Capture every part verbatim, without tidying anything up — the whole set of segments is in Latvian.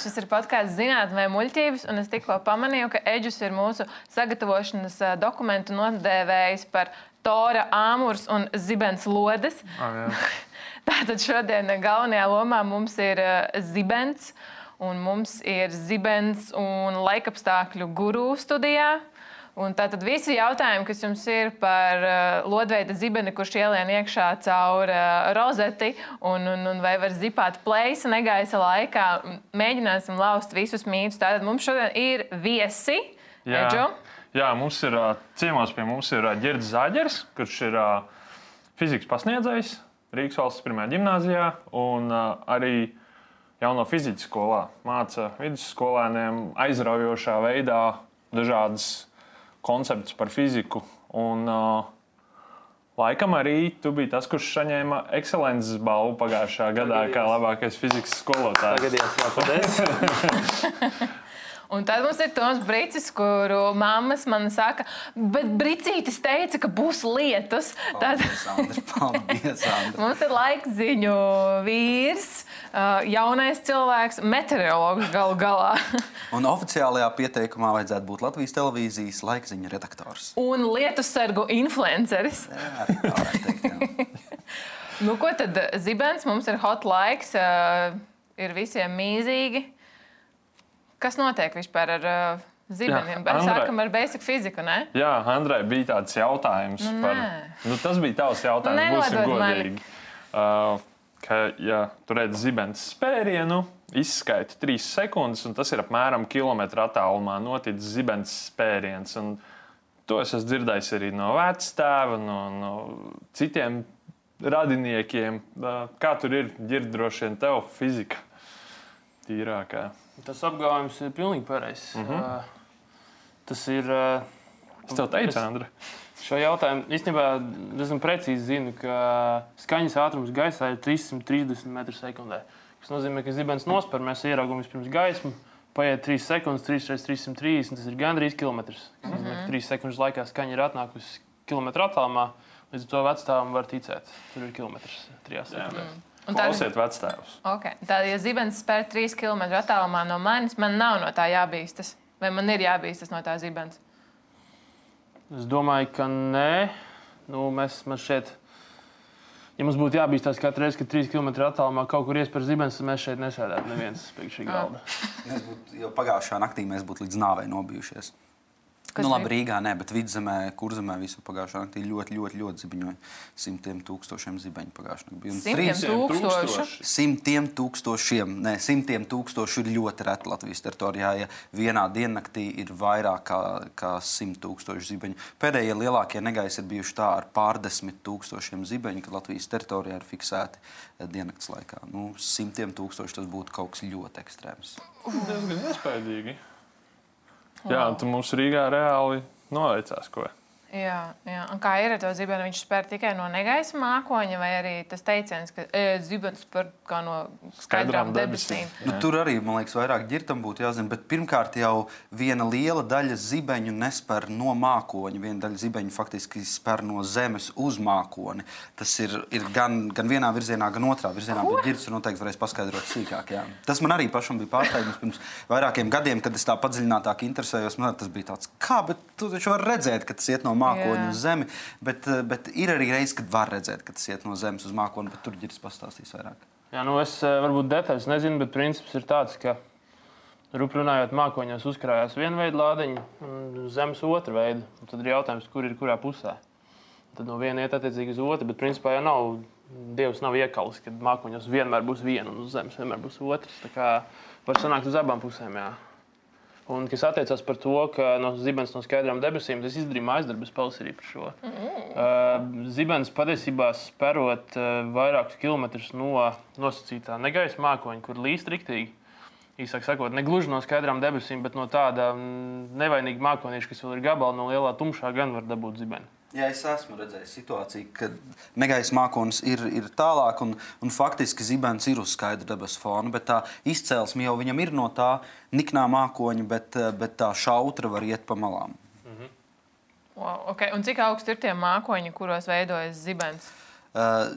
šis ir podkāsts Zinātne vai muļķības, un es tikko pamanīju, ka Eģus ir mūsu sagatavošanas dokumentu nodēvējis par tora, āmurs un zibens lodes. Ah, Tātad šodien galvenajā lomā mums ir zibens, un mums ir zibens un laikapstākļu guru studijā. Un tātad visi jautājumi, kas jums ir par uh, lodveida zibeni, kurš ielien iekšā caur uh, rozeti un, un, un vai var zipāt pleisa negaisa laikā, mēģināsim laust visus mītus. Tātad mums šodien ir viesi. Jā, Eģu. jā mums ir uh, ciemos pie mums ir uh, Ģirds Zāģers, kurš ir uh, fizikas pasniedzējs Rīgas valsts pirmajā ģimnāzijā un uh, arī jauno fizikas skolā māca vidusskolēniem aizraujošā veidā dažādas koncepts par fiziku. Un, uh, laikam arī tu biji tas, kurš saņēma ekscelences balvu pagājušajā gadā kā labākais fizikas skolotājs. Tagadījās, jā, paldies. Un tad mums ir Toms Bricis, kuru mammas man saka, bet Bricītis teica, ka būs lietus. Paldies, Andri, paldies, Andri. Mums ir laikziņu vīrs, jaunais cilvēks, meteorologs galu galā. Un oficiālajā pieteikumā vajadzētu būt Latvijas televīzijas laikziņu redaktors. Un lietussargu influenceris. Jā, arī tā varētu teikt, jā. Nu, ko tad zibens? Mums ir hot laiks, ir visiem mīzīgi. Kas notiek vispār ar uh, zibeniem? Jā, Andrei, sākam ar basic fiziku, ne? Jā, Andrei, bija tāds jautājums nu, par... Nu, tas bija tavs jautājums, nu, būsim godīgi. Uh, ka, ja tu redzi zibens spērienu, izskaiti trīs sekundes, un tas ir apmēram kilometra attālumā noticis zibens spēriens. Un to es esmu dzirdējis arī no vectēva, no, no citiem radiniekiem. Uh, kā tur ir, Ģird, droši vien tev fizika tīrākā? Tas apgalvojums ir pilnīgi pareizs. Mm -hmm. uh, tas ir... Uh, es tev teicu, Andri. Šo jautājumu īstenībā diezgan precīzi zinu, ka skaņas ātrums gaisā ir trīs simti trīsdesmit metru sekundē. Tas nozīmē, ka zibens nospēr, mēs ieraugam vispirms gaismu, paiet trīs sekundes, trīs reizes trīs simti trīsdesmit, tas ir gandrīz kilometrs. Tas nozīmē, ka trīs sekundes laikā skaņa ir atnākusi kilometru attālumā, līdz to vecstāvam var ticēt. Tur ir kilometrs trijās sekundēs. Klausiet vectēvus. Okay. Tātad, ja zibens spēr trīs kilometru attālumā no manis, man nav no tā jābīstas. Vai man ir jābīstas no tā zibens? Es domāju, ka nē. Nu, mēs, mēs šeit, ja mums būtu jābīstās katru reizi, kad trīs kilometru attālumā kaut kur iespēr zibens, tad mēs šeit nesēdētu neviens pie šī galda. Mēs būtu, jo pagājušajā naktī mēs būtu līdz nāvei nobijušies. Kas nu, labi, Rīgā ne, bet Vidzemē, Kurzemē visu pagājušā naktī ļoti, ļoti, ļoti zibiņoja. Simtiem tūkstošiem zibeņu pagājušā naktī. Simtiem tūkstošu? Simtiem tūkstošiem. Nē, simtiem tūkstošu ir ļoti reti Latvijas teritorijā. Ja vienā diennaktī ir vairāk kā, kā simt tūkstoši zibeņu. Pēdējie lielākie negaisi ir bijuši tā ar pārdesmit tūkstošiem zibeņu, kad Latvijas teritorijā ir fiksēti diennakts laikā. Nu, simtiem tūkstoši tas būtu kaut kas ļoti ekstrēms. Diezgan iespējīgi. Jā, tu mums Rīgā reāli noveicās, ko? Jā, jā. Un kā ir ar to zibeni? Viņš spēr tikai no negaisa mākoņa, vai arī tas teiciens, ka e, zibens spēr kā no skaidrām debesīm? Nu, tur arī, man liekas, vairāk Ģirtam būtu jāzina, bet pirmkārt jau viena liela daļa zibeņu nespēr no mākoņa. Viena daļa zibeņu faktiski spēr no zemes uz mākoni. Tas ir, ir gan, gan vienā virzienā, gan otrā virzienā, ko? Bet Ģirts noteikti varēs paskaidrot sīkāk. Jā. Tas man arī pašam bija pārsteigums pirms vairākiem gadiem, kad es tā padziļinātāk interesējos. Man tas bija tāds, kā, bet tu taču var redzēt, ka tas iet no mākoņa uz zemi, bet, bet ir arī reizes, kad var redzēt, ka tas iet no zemes uz mākoni, bet tur Ģirds pastāstīs vairāk. Jā, nu es varbūt detaļas nezinu, bet princips ir tāds, ka rupi runājot mākoņos uzkrājās viena veida lādiņa un zemes otra veida. Un tad ir jautājums, kur ir kurā pusē. Tad no viena iet attiecīgi uz otru, bet principā jau nav, Dievs nav iekalis, kad mākoņos vienmēr būs viena un uz zemes vienmēr būs otrs. Tā kā var sanākt uz abām pusēm, jā. Un, kas attiecās par to, ka no zibens no skaidrām debesīm, tas izdarīja mājasdarbus pavasarī par šo. Mm. Uh, zibens patiesībā sperot uh, vairākus kilometrus no nosacītā negaisa mākoņa, kur līst riktīgi. Īsāk sakot, ne gluži no skaidrām debesīm, bet no tāda nevainīga mākonīša, kas vēl ir gabala no lielā tumšā, gan var dabūt zibeni. Jā, es esmu redzējis situāciju, kad negaisa mākonis ir, ir tālāk un, un faktiski zibens ir uz skaidra debesu fona, bet tā izcelsme jau viņam ir no tā niknā mākoņa, bet, bet tā šautra var iet pa malām. Mm-hmm. Wow, okay. Un cik augsti ir tie mākoņi, kuros veidojas zibens? Uh,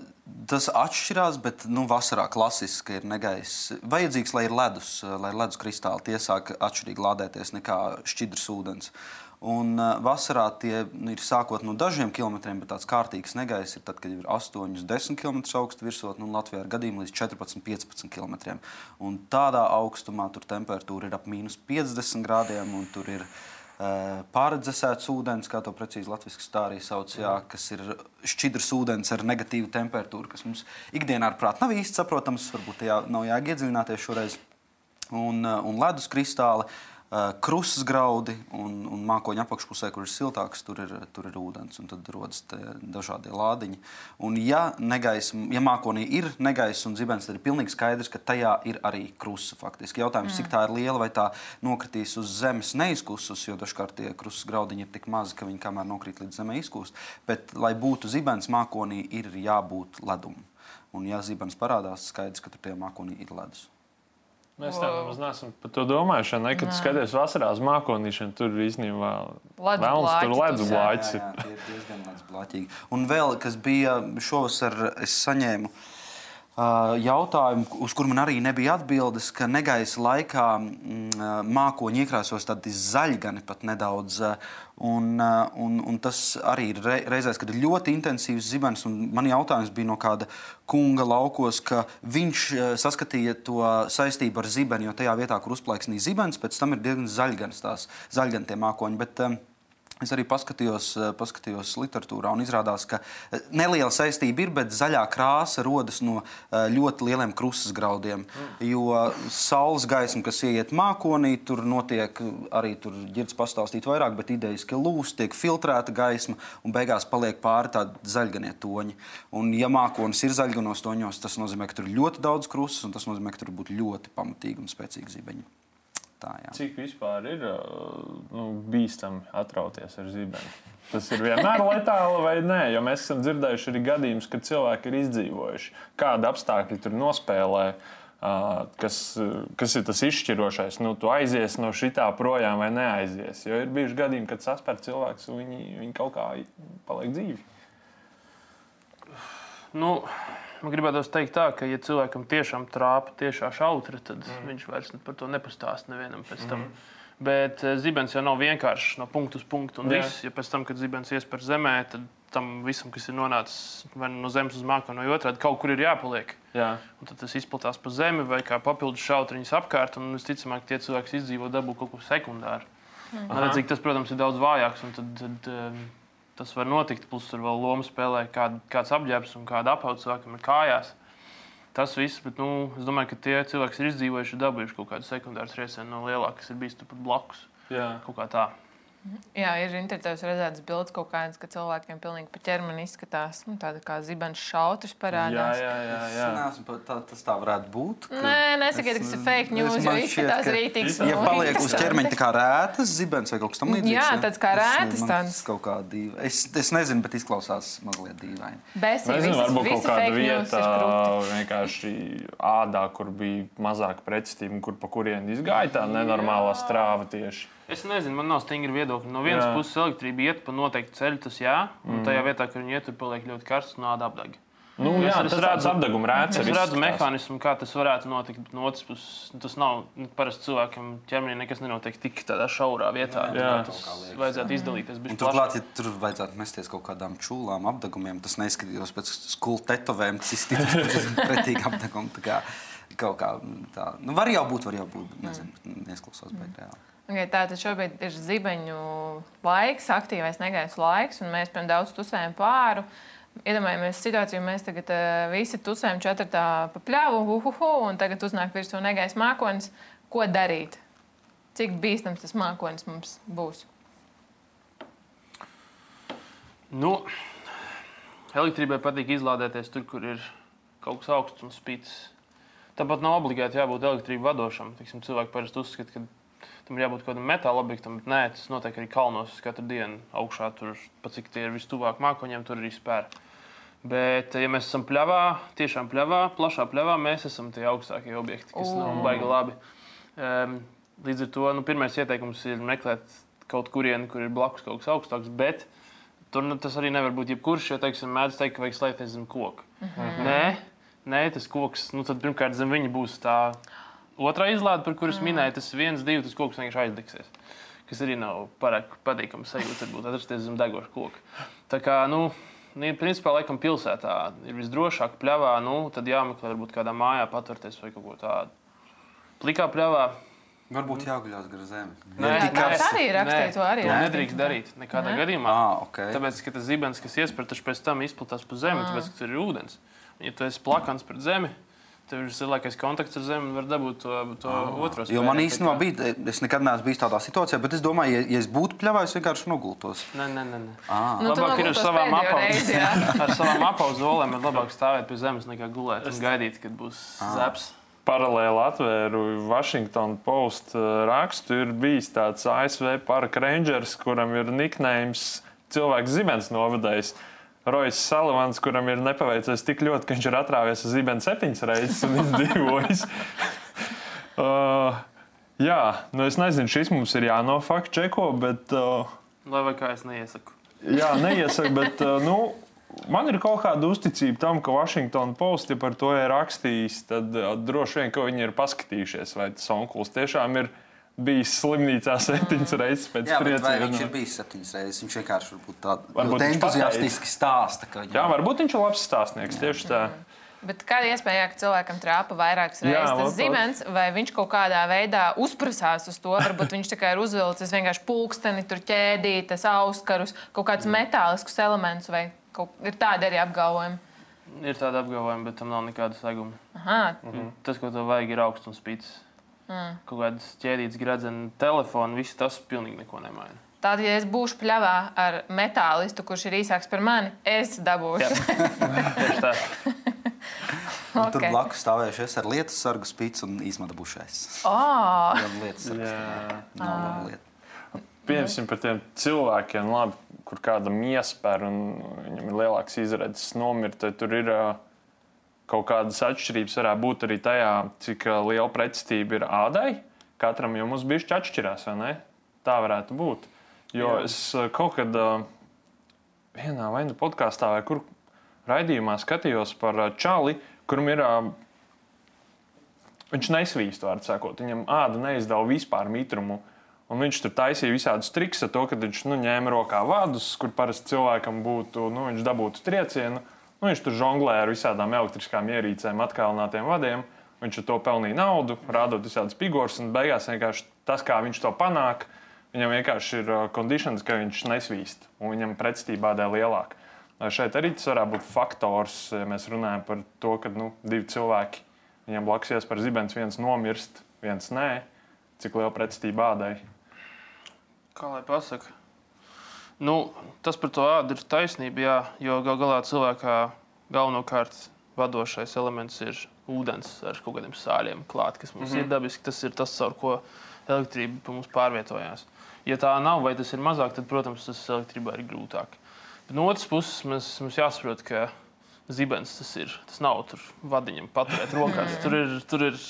tas atšķirās, bet nu, vasarā klasiski ir negaiss. Vajadzīgs, lai ir ledus, lai ir ledus kristāli. Tie sāk atšķirīgi lādēties nekā šķidrs ūdens. Un uh, vasarā tie nu, ir sākot no dažiem kilometriem, bet tāds kārtīgs negaiss ir tad, kad ir astoņi, desmit kilometri augstu virsotne, un Latvijā ir gadījumi līdz četrpadsmit, piecpadsmit kilometriem. Un tādā augstumā tur temperatūra ir ap mīnus piecdesmit grādiem, un tur ir uh, pārredzesēts ūdens, kā to precīzi latviski tā arī sauc, jā, kas ir šķidrs ūdens ar negatīvu temperatūru, kas mums ikdienā ar prātu nav īsti saprotams, varbūt tajā nav jāiedziļināties šoreiz. Un, uh, un ledus kristāli. Krusas graudi un, un mākoņa apakšpusē, kur ir siltāks, tur ir, tur ir ūdens, un tad rodas dažādie lādiņi. Un ja, negais, ja mākonī ir negaiss un zibens, tad ir pilnīgi skaidrs, ka tajā ir arī krusa faktiski. Jautājums, mm. cik tā ir liela, vai tā nokritīs uz zemes neizkusus, jo dažkārt tie krusas graudiņi ir tik mazi, ka viņi kamēr nokrīt līdz zemē izkūst. Bet, lai būtu zibens, mākonī ir jābūt ledum. Un ja zibens parādās, skaidrs, ka tur tie mākonī ir ledus. Mēs tā nemaz neesam par to domājuši, ne? Kad skaties vasarā uz mākonīšanu, tur īstenībā vēlams, tur ledus blāķis ir. Jā, jā, tie ir diezgan ledus blāķīgi. Un vēl, kas bija šovasar, es saņēmu uh, jautājumu, uz kur man arī nebija atbildes, ka negaisa laikā mm, mākoņi iekrāsos tādi zaļgani pat nedaudz. Uh, Un, un, un tas arī ir reizēs, kad ir ļoti intensīvs zibens. Man jautājums bija no kāda kunga laukos, ka viņš saskatīja to saistību ar zibeni, jo tajā vietā, kur uzplaiksnīja zibens, pēc tam ir diezgan zaļganas tās, zaļgani tie mākoņi. Bet, es arī paskatījos, paskatījos literatūrā un izrādās, ka neliela saistība ir, bet zaļā krāsa rodas no ļoti lieliem krusas graudiem. Jo saules gaisma, kas ieiet mākonī, tur notiek arī tur ģirds pastāstīt vairāk, bet idejiski lūst, tiek filtrēta gaisma un beigās paliek pāri tādi zaļganie toņi. Un ja mākonis ir zaļganos toņos, tas nozīmē, ka tur ir ļoti daudz krusas un tas nozīmē, ka tur būtu ļoti pamatīgi un spēcīgi zibeņi. Tā, cik vispār ir nu, bīstami atrauties ar zibeni? Tas ir vienmēr letāli vai nē? Jo mēs esam dzirdējuši arī gadījumus, kad cilvēki ir izdzīvojuši. Kāda apstākļi tur nospēlē, kas, kas ir tas izšķirošais? Nu, tu aizies no šitā projām vai neaizies? Jo ir bijuši gadījumi, kad saspēr cilvēks un viņi, viņi kaut kā paliek dzīvi. Nu... Man gribētos teikt tā, ka, ja cilvēkam tiešām trāpa tiešā šautra, tad mm. viņš vairs par to nepastāst nevienam pēc tam. Mm. Bet zibens jau nav vienkārši no punktu uz punktu un yeah. viss. Ja pēc tam, kad zibens ies par zemē, tad tam visam, kas ir nonācis vai no zemes uz mākoni, vai otrādi, kaut kur ir jāpaliek. Yeah. Un tad tas izplatās pa zemi vai kā papildus šautriņas apkārt, un visticamāk, tie cilvēki izdzīvo dabū kaut ko sekundāru. Mm. Redzīgi, tas, protams, ir daudz vājāks, un tad... tad tas var notikt, plus tur vēl lomu spēlē kād, kāds apģērbs un kāda apauga cilvēkam ir kājās. Tas viss, bet nu, es domāju, ka tie cilvēki ir izdzīvojuši, dabūjuši kaut kādu sekundāru triecienu no lielāka, kas ir bijis tur pat blakus. Jā. Kaut kā tā. Jā, ir interesanti redzēt bildes kaut kādas, ka cilvēkiem pilnīgi pa ķermeni izskatās. Nu, tāda kā zibens šautrs parādās. Jā, jā, jā. jā. Neesmu, tā, tas tā varētu būt. Nē, nesakiet, ka tas ir fake news, jo izskatās rītīgs. Ja paliek uz ķermeņa tā kā rētas zibens vai kaut kas tam līdzīgs. Jā, tāds kā rētas tāds. Kaut kā dīva. Es, es nezinu, bet izklausās mazliet dīvaini. Besī, nezinu, visas, varbūt visi kaut kāda fake news vieta vienkārši ādā, kur bija mazāka pretestība, kur pa kurieni izgāja tā nenormālā strāva tieši. Es nezinu, man nav stingri viedokļi. No vienas jā. puses elektrība iet pa noteiktu ceļu, tas jā, un mm. tajā vietā, kur viņi iet, tur paliek ļoti karsts un āda apdeg. Nu, jā, es, tas redzu apdeguma rēts. Es redzu mehānismu, kā tas varētu notikt, bet no otras puses tas nav, parasti cilvēkam ķermenī nekas nenotiek tik tādā šaurā vietā. Jā, jā. Tas vajadzētu izdalīties. Un turklāt, ja tur vajadzētu mesties kaut kādām čūlām, apdegumiem, tas neizskatījos pēc skulu tetovēm, tas izskatījos pretīgi apdegumu. Tā kā kaut kā tā. Nu, var jau būt, var jau būt, nezinu, neizklausās beig reāli. Okay, tātad šobrīd ir zibeņu laiks, aktīvais negaisa laiks, un mēs pirms daudz tusējam pāru. Iedomājamies situāciju, mēs tagad uh, visi tusējam četratā pa pļavu, hu, hu, hu, un tagad uznāk virsū negaisa mākonis. Ko darīt? Cik bīstams tas mākonis mums būs? Nu, elektrībai patīk izlādēties tur, kur ir kaut kas augsts un spīts. Tāpat nav obligāti jābūt elektrību vadošam. Tiksim, cilvēki parasti uzskata, ka tam ir jābūt kaut kādam metāla objektam, bet nē, tas notiek arī kalnos katru dienu augšā. Tur, pat cik tie ir vistuvāk mākoņiem, tur arī spēr. Bet, ja mēs esam pļavā, tiešām pļavā, plašā pļavā, mēs esam tie augstākie objekti, kas nav baigi labi. Um, līdz ar to, nu, pirmais ieteikums ir meklēt kaut kurieni, kur ir blakus kaut kas augstāks, bet tur nu, tas arī nevar būt jebkurš, jo, teiksim, mēdz teikt, ka vajag slēpties zem koka. Mm-hmm. Nē, nē, tas koks, nu tad pirmkārt zem viņa būs tā otrā izlāde, par kuras mm. minēja, tas viens, divi, tas koks vienkārši aizdegsies. Kas arī nav pārāk patīkams sajūta, varbūt atrasties zem degoša koka. Tā kā, nu, principā, laikam pilsētā ir visdrošāk pļavā, nu, tad jāmeklē varbūt kādā mājā patverties vai kaut ko tādu. Plikā pļavā. Varbūt jāguļās gar zemi. Nē, jā, tas arī rakstīja, to arī rakstīja. Nedrīkst darīt nekādā ne? gadījumā. Ah, okay. Tāpēc, ka tas zibens, kas iespēr, taču pēc tam izplatās pa zemi, ah. tāpēc, ka tur ir ūdens. Ja tu esi plakans pret zemi, tev ir lielākais kontakts ar zemi un var dabūt to, to ah. otro spēju. Jo man īstenībā bija, es nekad neesmu bijis tādā situācijā, bet es domāju, ja, ja es būtu pļavā, es vienkārši nogultos. Nē, nē, nē. Ah. Nu, labāk ir ar savām reizi, ar savām apauzolēm, ir labāk stāvēt pie zemes nekā gulēt un gaidīt, kad būs ah. zeps. Paralēli atvēru Washington Post rakstu. Ir bijis tāds A S V parka rangers, kuram ir niknējums cilvēks zibens novadējs. Rojas Salivans, kuram ir nepaveicies tik ļoti, ka viņš ir atrāvies uz zibeni septiņas reizes un izdzīvojis. uh, jā, nu es nezinu, šis mums ir jānofakt čeko, bet... Uh, Lai vai kā es neiesaku. Jā, neiesaku, bet, uh, nu... Man ir kaut kāda uzticība tam, ka Washington Post, ja par to ir rakstījis, tad uh, droši vien, ka viņi ir paskatījušies, vai tas onkulis tiešām ir bijis slimnīcā septiņas reizes pēc jā, trieciena. Jā, bet vai viņš ir bijis septiņas reizes? Viņš vienkārši varbūt tādu entuziastiski stāsta. Ka jā, varbūt viņš ir labs stāstnieks, jā. Tieši tā. Bet kāda iespēja, ka cilvēkam trāpa vairākas reizes jā, tas zibens, vai viņš kaut kādā veidā uzprasās uz to? Varbūt viņš tikai ir uzvilcis vienkārši pulksteni, tur ķēdītas, auskarus, kaut kādus metāliskus elementus vai kaut, ir tādi arī apgalvojumi. Ir tādi apgalvojumi, bet tam nav nekāda seguma. Aha. Mhm. Tas, ko tev vajag, ir augsts un spītis. Mm. Kaut kādas ķēdītas gradzena telefonu, viss tas pilnīgi neko nemaina. Tātad, ja es būšu pļavā ar metālistu, kurš ir īsāks par mani, es dabūšu. Tieši tā. Okay. Tur blakus stāvējušies ar lietas sargu spīts un izmadabušais. Oh. Lietas sargas. Nav laba lieta. Piemēram, par tiem cilvēkiem, labi, kur kādam iespēr un viņam ir lielāks izredzes nomirt, tad tur ir uh, kaut kādas atšķirības. Varētu būt arī tajā, cik uh, liela pretestība ir ādai. Katram jau mums bišķi atšķirās, vai ne? Tā varētu būt. Jo Jā. es uh, kaut kad uh, vienā vai nu podkāstā vai kur raidījumā skatījos par uh, čali, kuram ir, uh, viņš nesvīst, vārdu sakot, viņam āda neizdala vispār mitrumu. Un viņš tur taisīja visādus trikus ar to, ka viņš nu, ņēma rokā vadus, kur parasti cilvēkam būtu, nu, viņš dabūtu triecienu. Nu, viņš tur žonglēja ar visādām elektriskām ierīcēm, atkalinātiem vadiem. Viņš ar to pelnīja naudu, rādot visādas figūras, un beigās vienkārši tas, kā viņš to panāk, viņam vienkārši ir conditions, ka viņš nesvīst, un viņam pretestība ādai lielāka. Šeit arī tas varētu būt faktors, ja mēs runājam par to, ka nu, divi cilvēki, viņam blakus iespēr zibens, viens nomirst, viens nē, cik liela pretestība ādai. Kā lai pasaka? Nu, tas par to ādu ir taisnība, jā, jo gal galā cilvēkā galvenokārt vadošais elements ir ūdens ar kaut kādiem sāļiem klāt, kas mums mm-hmm. ir dabiski. Tas ir tas, caur ko elektrība pa mums pārvietojās. Ja tā nav vai tas ir mazāk, tad, protams, tas elektrībā ir grūtāk. Bet no otras puses mums, mums jāsaprot, ka zibens tas ir. Tas nav tur vadiņam paturēt rokās. Tur ir... Tur ir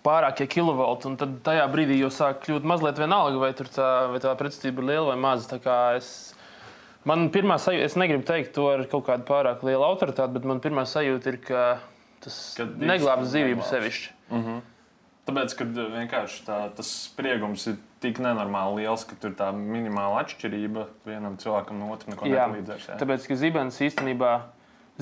pārākie kilovolti, un tad tajā brīdī jau sāk kļūt mazliet vienalga, vai, tur tā, vai tā pretestība ir liela vai maza. Tā kā es, man pirmā sajūta, es negribu teikt to ar kaut kādu pārāk lielu autoritāti, bet man pirmā sajūta ir, ka tas neglābs dzīvību sevišķi. Mm-hmm. Tāpēc, kad vienkārši tā, tas spriegums ir tik nenormāli liels, ka tur tā minimāla atšķirība vienam cilvēkam no otru neko nepalīdzēs. Jā, tāpēc, ka zibens īstenībā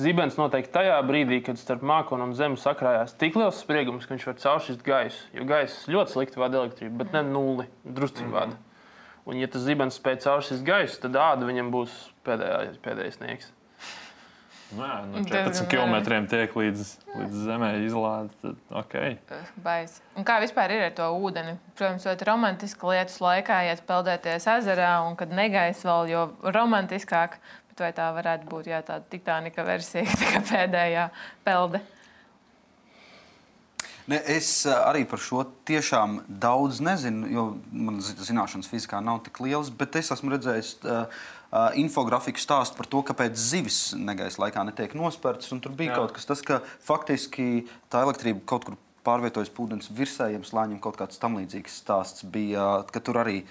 Zibens noteikti tajā brīdī, kad starp mākoni un zemi sakrājās tik liels spriegums, ka viņš var cauršķist gaisu. Jo gaiss ļoti slikti vada elektrību, bet ne nulli, drusciņi vada. Un ja tas zibens spēj cauršķist gaisu, tad āda viņam būs pēdējā, pēdējais sniegs. Nu jā, no četrpadsmit kilometriem tiek līdz, līdz zemē izlāde, tad ok. Bais. Un kā vispār ir ar to ūdeni? Protams, ļoti romantiska lietas laikā, iet peldēties ezerā, un kad negais vēl, jo romantiskāk. Bet vai tā varētu būt jā, tāda Titanika versija, kā pēdējā pelde? Ne, es arī par šo tiešām daudz nezinu, jo man zināšanas fizikā nav tik lielas, bet es esmu redzējis uh, uh, infografiku stāstu par to, kāpēc zivis negaisa laikā netiek nospērtas. Un tur bija jā. Kaut kas tas, ka faktiski tā elektrība kaut kur pārvietojas pūdens virsējiem slāņiem, kaut kāds tam līdzīgs stāsts bija, ka tur arī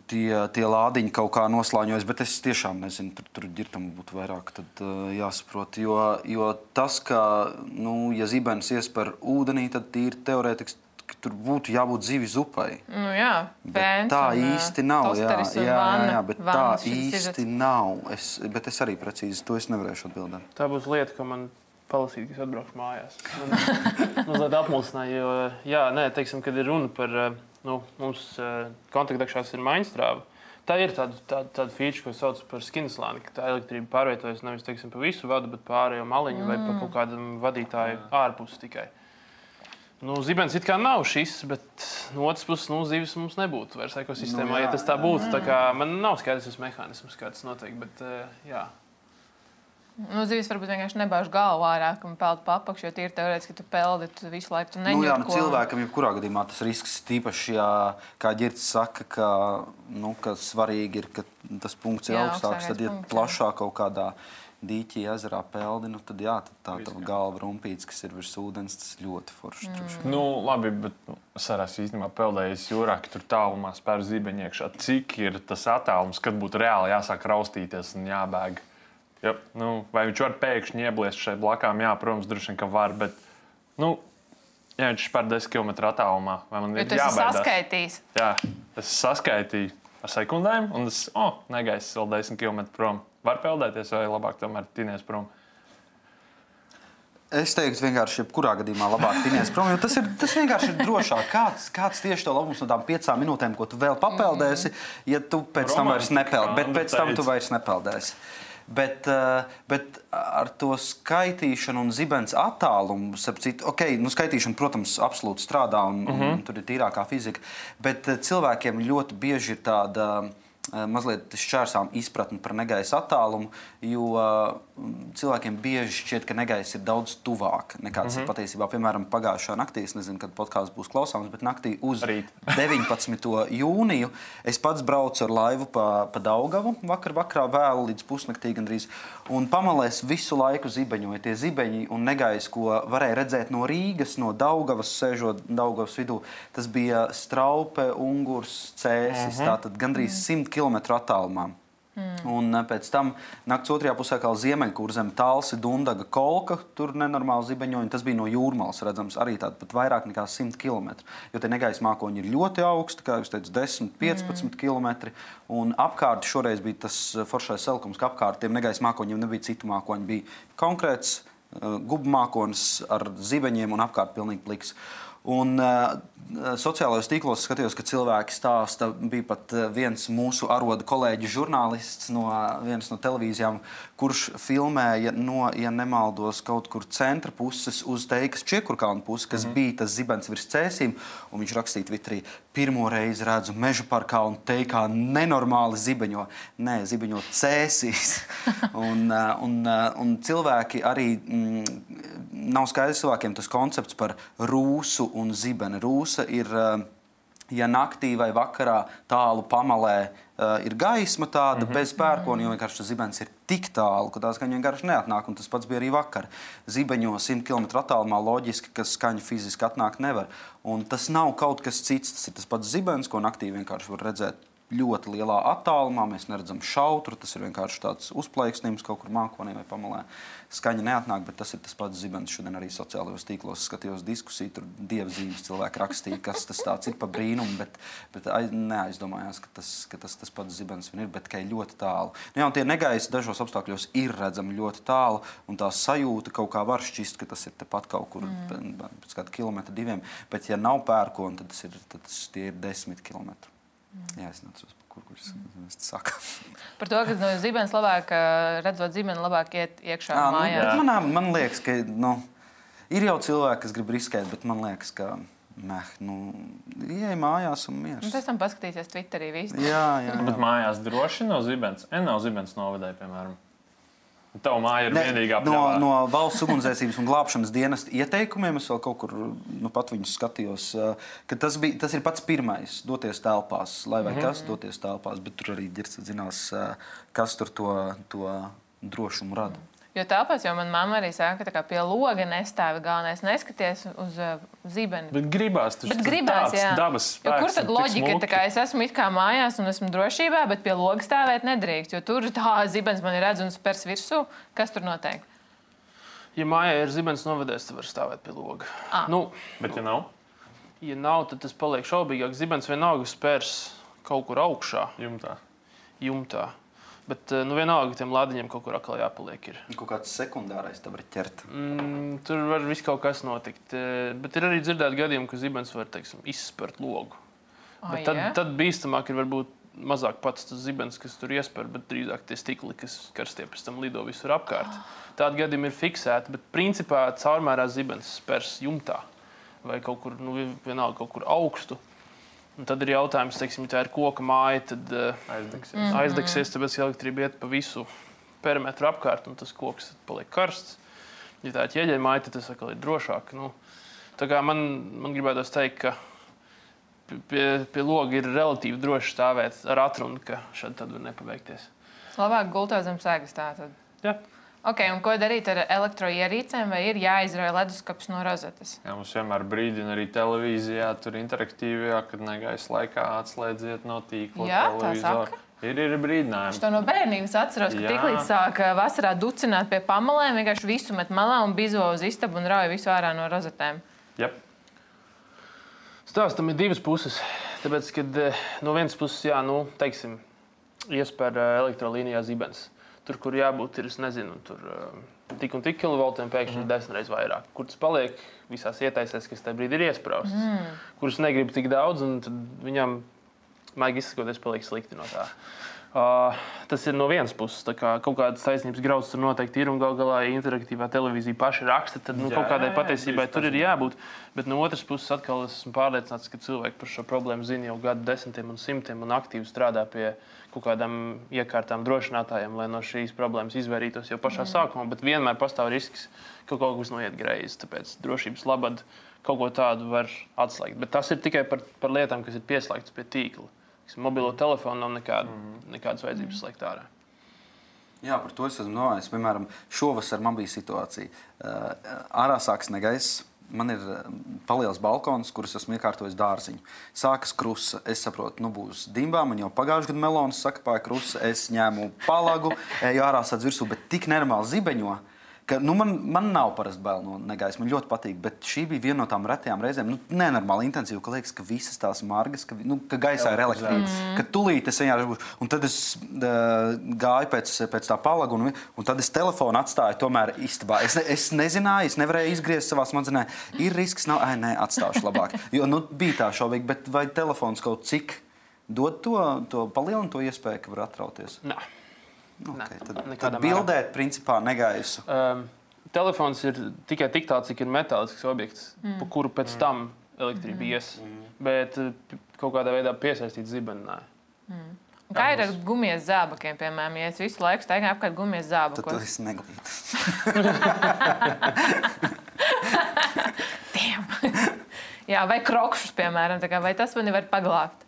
tie, tie lādiņi kaut kā noslāņojas, bet es tiešām nezinu, tur, tur ģirtam būtu vairāk tad, uh, jāsaprot. Jo, jo tas, ka, nu, ja zibens iesper ūdenī, tad tīri teorētiski tur būtu jābūt zivju zupai. Nu, jā, pēns tā un, īsti nav. Jā, jā, jā, jā, jā, bet tā īsti izrats. nav. Es, bet es arī precīzi to es nevarēšu atbildēt. Tā būs lieta, ko man palasīt, kas atbraukšu mājās. Man mazliet apmulsināja, jo, jā, nē, teiksim, kad ir runa par, nu, mums kontaktdekšās ir maiņstrāva. Tā ir tāda, tāda, tāda feature, ko sauc par skinslāni, ka tā elektrība pārvietojas nevis, teiksim, pa visu vadu, bet pārējo maliņu mm. vai pa kaut kādam vadītāju ārpus tikai. Nu, zibens it kā nav šis, bet no otras puses, nu, zivis mums nebūtu vairs ekosistēmā, nu, jā, ja tas tā būtu. Tā kā man nav skaidrs tas mehānisms, kā tas notiek, bet, jā. Nu, zivis varbūt vienkārši nebāž galvu ārā, ka man peld pa apakšu, jo tīri teorētiski, ka tu peldi, tu visu laiku tu neņem. Nu, jā, nu, ko... cilvēkam jebkurā gadījumā tas risks tīpaši, jā, kā Ģirds saka, ka, nu, ka svarīgi ir, ka tas punkts ir jā, augstāks, tad, ja punkts, plašāk kaut kādā dīķī, ezerā peldi, nu, tad jā, tad tā tava galva rumpīts, kas ir virs ūdens, tas ļoti forši. Mm. Nu, labi, bet nu, es arī esmu īstenībā peldējis jūrā, ka tur tālumā spēr zibeņi iekšā. Cik ir tas attālums, kad būtu reāli jāsāk raustīties un jābēg? Ja, nu, vai viņš var pēkšņi iebliest šeit blakām? Jā, protams, droši vien, ka var, bet, nu, ja viņš spēr desmit kilometru attālumā, vai man ir jābaidās? Jo tu esi saskaitījis. Jā, es saskaitīju ar sekundēm, un es, o, oh, negaisu vēl desmit kilometru prom. Var peldēties, vai labāk tomēr tinies prom? Es teiktu, vienkārši jebkurā gadījumā labāk tinies prom, jo tas, ir, tas vienkārši ir drošāk. Kāds, kāds tieši tev labums no tām piecām minūtēm, ko tu vēl papeldēsi, ja tu pēc tam vairs nepeld, bet pēc tam tu vairs nepeldēsi. Bet, bet ar to skaitīšanu un zibens attālumu, citu, okay, nu, skaitīšana, protams, absolūti strādā un, uh -huh. un tur ir tīrākā fizika, bet cilvēkiem ļoti bieži ir tāda mazliet šķērsām izpratni par negaisa attālumu, jo cilvēkiem bieži šķiet, ka negaisa ir daudz tuvāk nekā tas mm -hmm. ir patiesībā. Piemēram, pagājušā naktī, es nezinu, kad podkāsts būs klausāms, bet naktī uz deviņpadsmito jūniju es pats braucu ar laivu pa, pa Daugavu vakar vakarā vēlu līdz pusnaktī gandrīz, un pamalēs visu laiku zibeņoja tie zibeņi un negaisa, ko varēja redzēt no Rīgas, no Daugavas, sēžot Daugavas vidū. Tas bija Straupe, Ungurs, Cēsis, mm -hmm. tātad gandrīz simt kilometru attālumā. Mm. Un pēc tam nakts otrajā pusē kā Ziemeļkurzem, Talsi, Dundaga, Kolka, tur nenormāli zibeņoņi. Tas bija no Jūrmalas redzams arī tāda pat vairāk nekā simt kilometru. Jo tie negaisa mākoņi ir ļoti augsti, kā jūs teicu, desmit, piecpadsmit mm. kilometri. Un apkārt šoreiz bija tas foršais selkums, ka apkārt tiem negaisa mākoņiem nebija citu mākoņu. Bija konkrēts uh, gubu mākonis ar zibeņiem un apkārt pilnīgi pliks. Un uh, sociālajos tīklos skatījos, ka cilvēki stāsta, bija pat viens mūsu aroda kolēģi žurnālists no vienas no televīzijām, kurš filmēja no, ja nemaldos, kaut kur centra puses uz Teikas Čiekurkalnu pusi, kas mm -hmm. bija tas zibens virs Cēsīm, un viņš rakstīja Twitterī, pirmo reizi redzu Meža parkā un Teikā nenormāli zibeņo. Nē, zibeņo Cēsīs. un, un, un cilvēki arī, mm, nav skaidrs cilvēkiem tas koncepts par rūsu un zibeni. Rūsa ir, ja naktī vai vakarā tālu pamalē ir gaisma tāda, mm -hmm. bez pērkona, jo vienkārši tas zibens ir tik tālu, ka tā skaņa vienkārši neatnāk, un tas pats bija arī vakar. Zibeņo simt kilometru attālumā loģiski, ka skaņa fiziski atnākt nevar. Un tas nav kaut kas cits, tas ir tas pats zibens, ko naktī vienkārši var redzēt ļoti lielā attālumā. Mēs neredzam šautru, tas ir vienkārši tāds uzplaiksnījums kaut kur mākonī vai pamalē. Skaņa neatnāk, bet tas ir tas pats zibens. Šodien arī sociālajos tīklos skatījos diskusiju, tur dievzīmes cilvēki rakstīja, kas tas tāds ir pa brīnumu, bet, bet aiz, neaizdomājās, ka tas, ka tas, tas pats zibens vien ir, bet ka ir ļoti tālu. Nu, jā, un tie negaisi dažos apstākļos ir redzami ļoti tālu, un tā sajūta kaut kā var šķist, ka tas ir tepat kaut kur mm. pēc kāda kilometra diviem, bet ja nav pērkona, tad, tas ir, tad tas, tie ir desmit kilometri. Mm. Jā, es nācu uz kur, kurš es saku. Par to, ka no zibens labāk, redzot zibeni, labāk iet iekšā jā, mājā. Nu, man, man liekas, ka nu, ir jau cilvēki, kas grib riskēt, bet man liekas, ka meh, nu, ieej mājās un miers. Un pēc tam paskatīsies Twitterī visu. Jā, jā, jā. Bet mājās droši nav zibens. En nav zibens novadē, piemēram. Tava māja ir ne, vienīgā no, no valsts ugunsdzēsības un glābšanas dienesta ieteikumiem. Es vēl kaut kur nu, pat viņus skatījos, ka tas, bija, tas ir pats pirmais doties telpās, lai vai mm -hmm. kas doties telpās, bet tur arī Ģirds zinās, kas tur to, to drošumu rada. Jo tāpēc jau manā mamma arī saka, ka pie loga nestāvi galvenais. Neskaties uz uh, zibeni. Bet gribās tas bet gribās, jā. Dabas spēks. Jo kur tad loģika? Tā kā es esmu it kā mājās un esmu drošībā, bet pie loga stāvēt nedrīkst. Jo tur tā zibens man ir redz un spers virsū. Kas tur notiek? Ja mājā ir zibens novadēs, tad var stāvēt pie loga. Ah. Nu, bet ja nav? Ja nav, tad tas paliek šaubīgāk. Zibens vienalga spers kaut kur augšā. Jumtā. Jumtā. Bet nu, vienalga tiem lādiņiem kaut kur atkal jāpaliek. Ir. Kaut kāds sekundārais tam var ķert. Mm, tur var viss kaut kas notikt. Bet ir arī dzirdēti gadījumi, ka zibens var, teiksim, izspert logu. Oh, bet tad, yeah. tad bīstamāk ir varbūt mazāk pats tas zibens, kas tur iesper, bet drīzāk tie stikli, kas karstie pēc tam lido visur apkārt. Tādi gadījumi ir fiksēti, bet principā caurmērā zibens spers jumtā vai kaut kur, nu, vienalga kaut kur augstu. Un tad ir jautājums, teiksim, ja tā ir koka māja, tad uh, aizdegsies. Mm-hmm. aizdegsies, tāpēc ka elektrība iet pa visu perimetru apkārt, un tas koks paliek karsts. Ja tā ir ķieģeļa māja, tad tas atkal ir drošāk. Nu, tā kā man, man gribētos teikt, ka pie, pie loga ir relatīvi droši stāvēt ar atrunu, ka šad tad var nepaveikties. Labāk gultā zem sēgas tātad. Jā. Ok, un ko darīt ar elektroierīcēm, vai ir jāizrauj leduskapis no rozetes? Jā, mums vienmēr brīdina arī televīzijā, tur interaktīvajā, kad negaisa laikā atslēdziet no tīkla Jā, tā televizoru. saka. Ir, ir brīdinājumi. Es to no bērnības atceros, ka Jā. tiklīdz sāk vasarā ducināt pie pamalēm, vienkārši visu met malā un bizo uz istabu un rauj visu ārā no rozetēm. Yep. Stāstam ir divas puses. Tāpēc, kad no vienas puses, jā, nu, teiksim, iespēr elektrolīnijā zibens. Tur, kur jābūt, ir, es nezinu, tur tik un tik kilovoltiem pēkšņi ir mm. desmit reizes vairāk. Kur tas paliek visās ietaisēs, kas tajā brīdī ir iesprausts. Mm. Kurus negribu tik daudz, un tad viņam, maigi izsakoties, paliek slikti no tā. Uh, tas ir no vienas puses. Tā kā kaut kādas taisnības grauds tur noteikti ir, un gal galā, ja interaktīvā televīzija paši raksta, tad nu, jā, kaut kādai patiesībai tur ir jābūt. Bet no otras puses atkal esmu pārliecināts, ka cilvēki par šo problēmu zina jau gadu desmitiem un simtiem un aktīvi strādā pie kaut kādām iekārtām drošinātājiem, lai no šīs problēmas izvairītos jau pašā mm. sākumā, bet vienmēr pastāv risks, ka kaut kas noiet greizi. Tāpēc drošības labad kaut ko tādu var atslēgt. Bet tas ir tikai par, par lietām, kas ir pieslēgtas pie tīkla. Mobilo telefonu nav nekāda, mm. nekādas vajadzības slēgt ārā. Jā, par to es esmu domājis. Piemēram, šovasar man bija situācija. Uh, ārā sāks negaiss. Man ir paliels balkons, kurus esmu iekārtojis dārziņu. Sākas krusa. Es saprotu, nu būs dimbā. Man jau pagājušajā gadā melonas sakapāja krusa. Es ņēmu palagu, eju ārā sadz virsū, bet tik nenormāli zibeņo, ka nu, man, man nav parasti bail no negaisa. Man ļoti patīk, bet šī bija viena no tām retajām reizēm, nu, nenormāli intensīva, ka liekas, ka visas tās margas, ka, nu, ka gaisā ir elektrība, mm. ka tulīt es vienkārši būšu. Un tad es uh, gāju pēc, pēc tā palaga, un, un tad es telefonu atstāju tomēr istabā. Es, ne, es nezināju, es nevarēju izgriezt savā smadzenē. Ir risks, nav, ai, nē, atstāšu labāk. Jo, nu, bija tā šaubīgi, bet vai telefons kaut cik dod to, to palielinu to iespēju, ka var atrauties? Nē. Okay, tad, Nē, tad bildēt, principā, negaisu. Um, telefons ir tikai tik tāds, cik ir metālisks objekts, mm. pa kuru pēc tam elektrība ies. Mm. Bet kaut kādā veidā piesaistīt zibeni. Mm. Kā ir ar gumijas zābakiem, piemēram, ja es visu laiku staigāju apkārt gumijas zābakos? Tad tu esi neglīts. Jā, vai krokšus, piemēram, tā kā, vai tas mani var paglābt?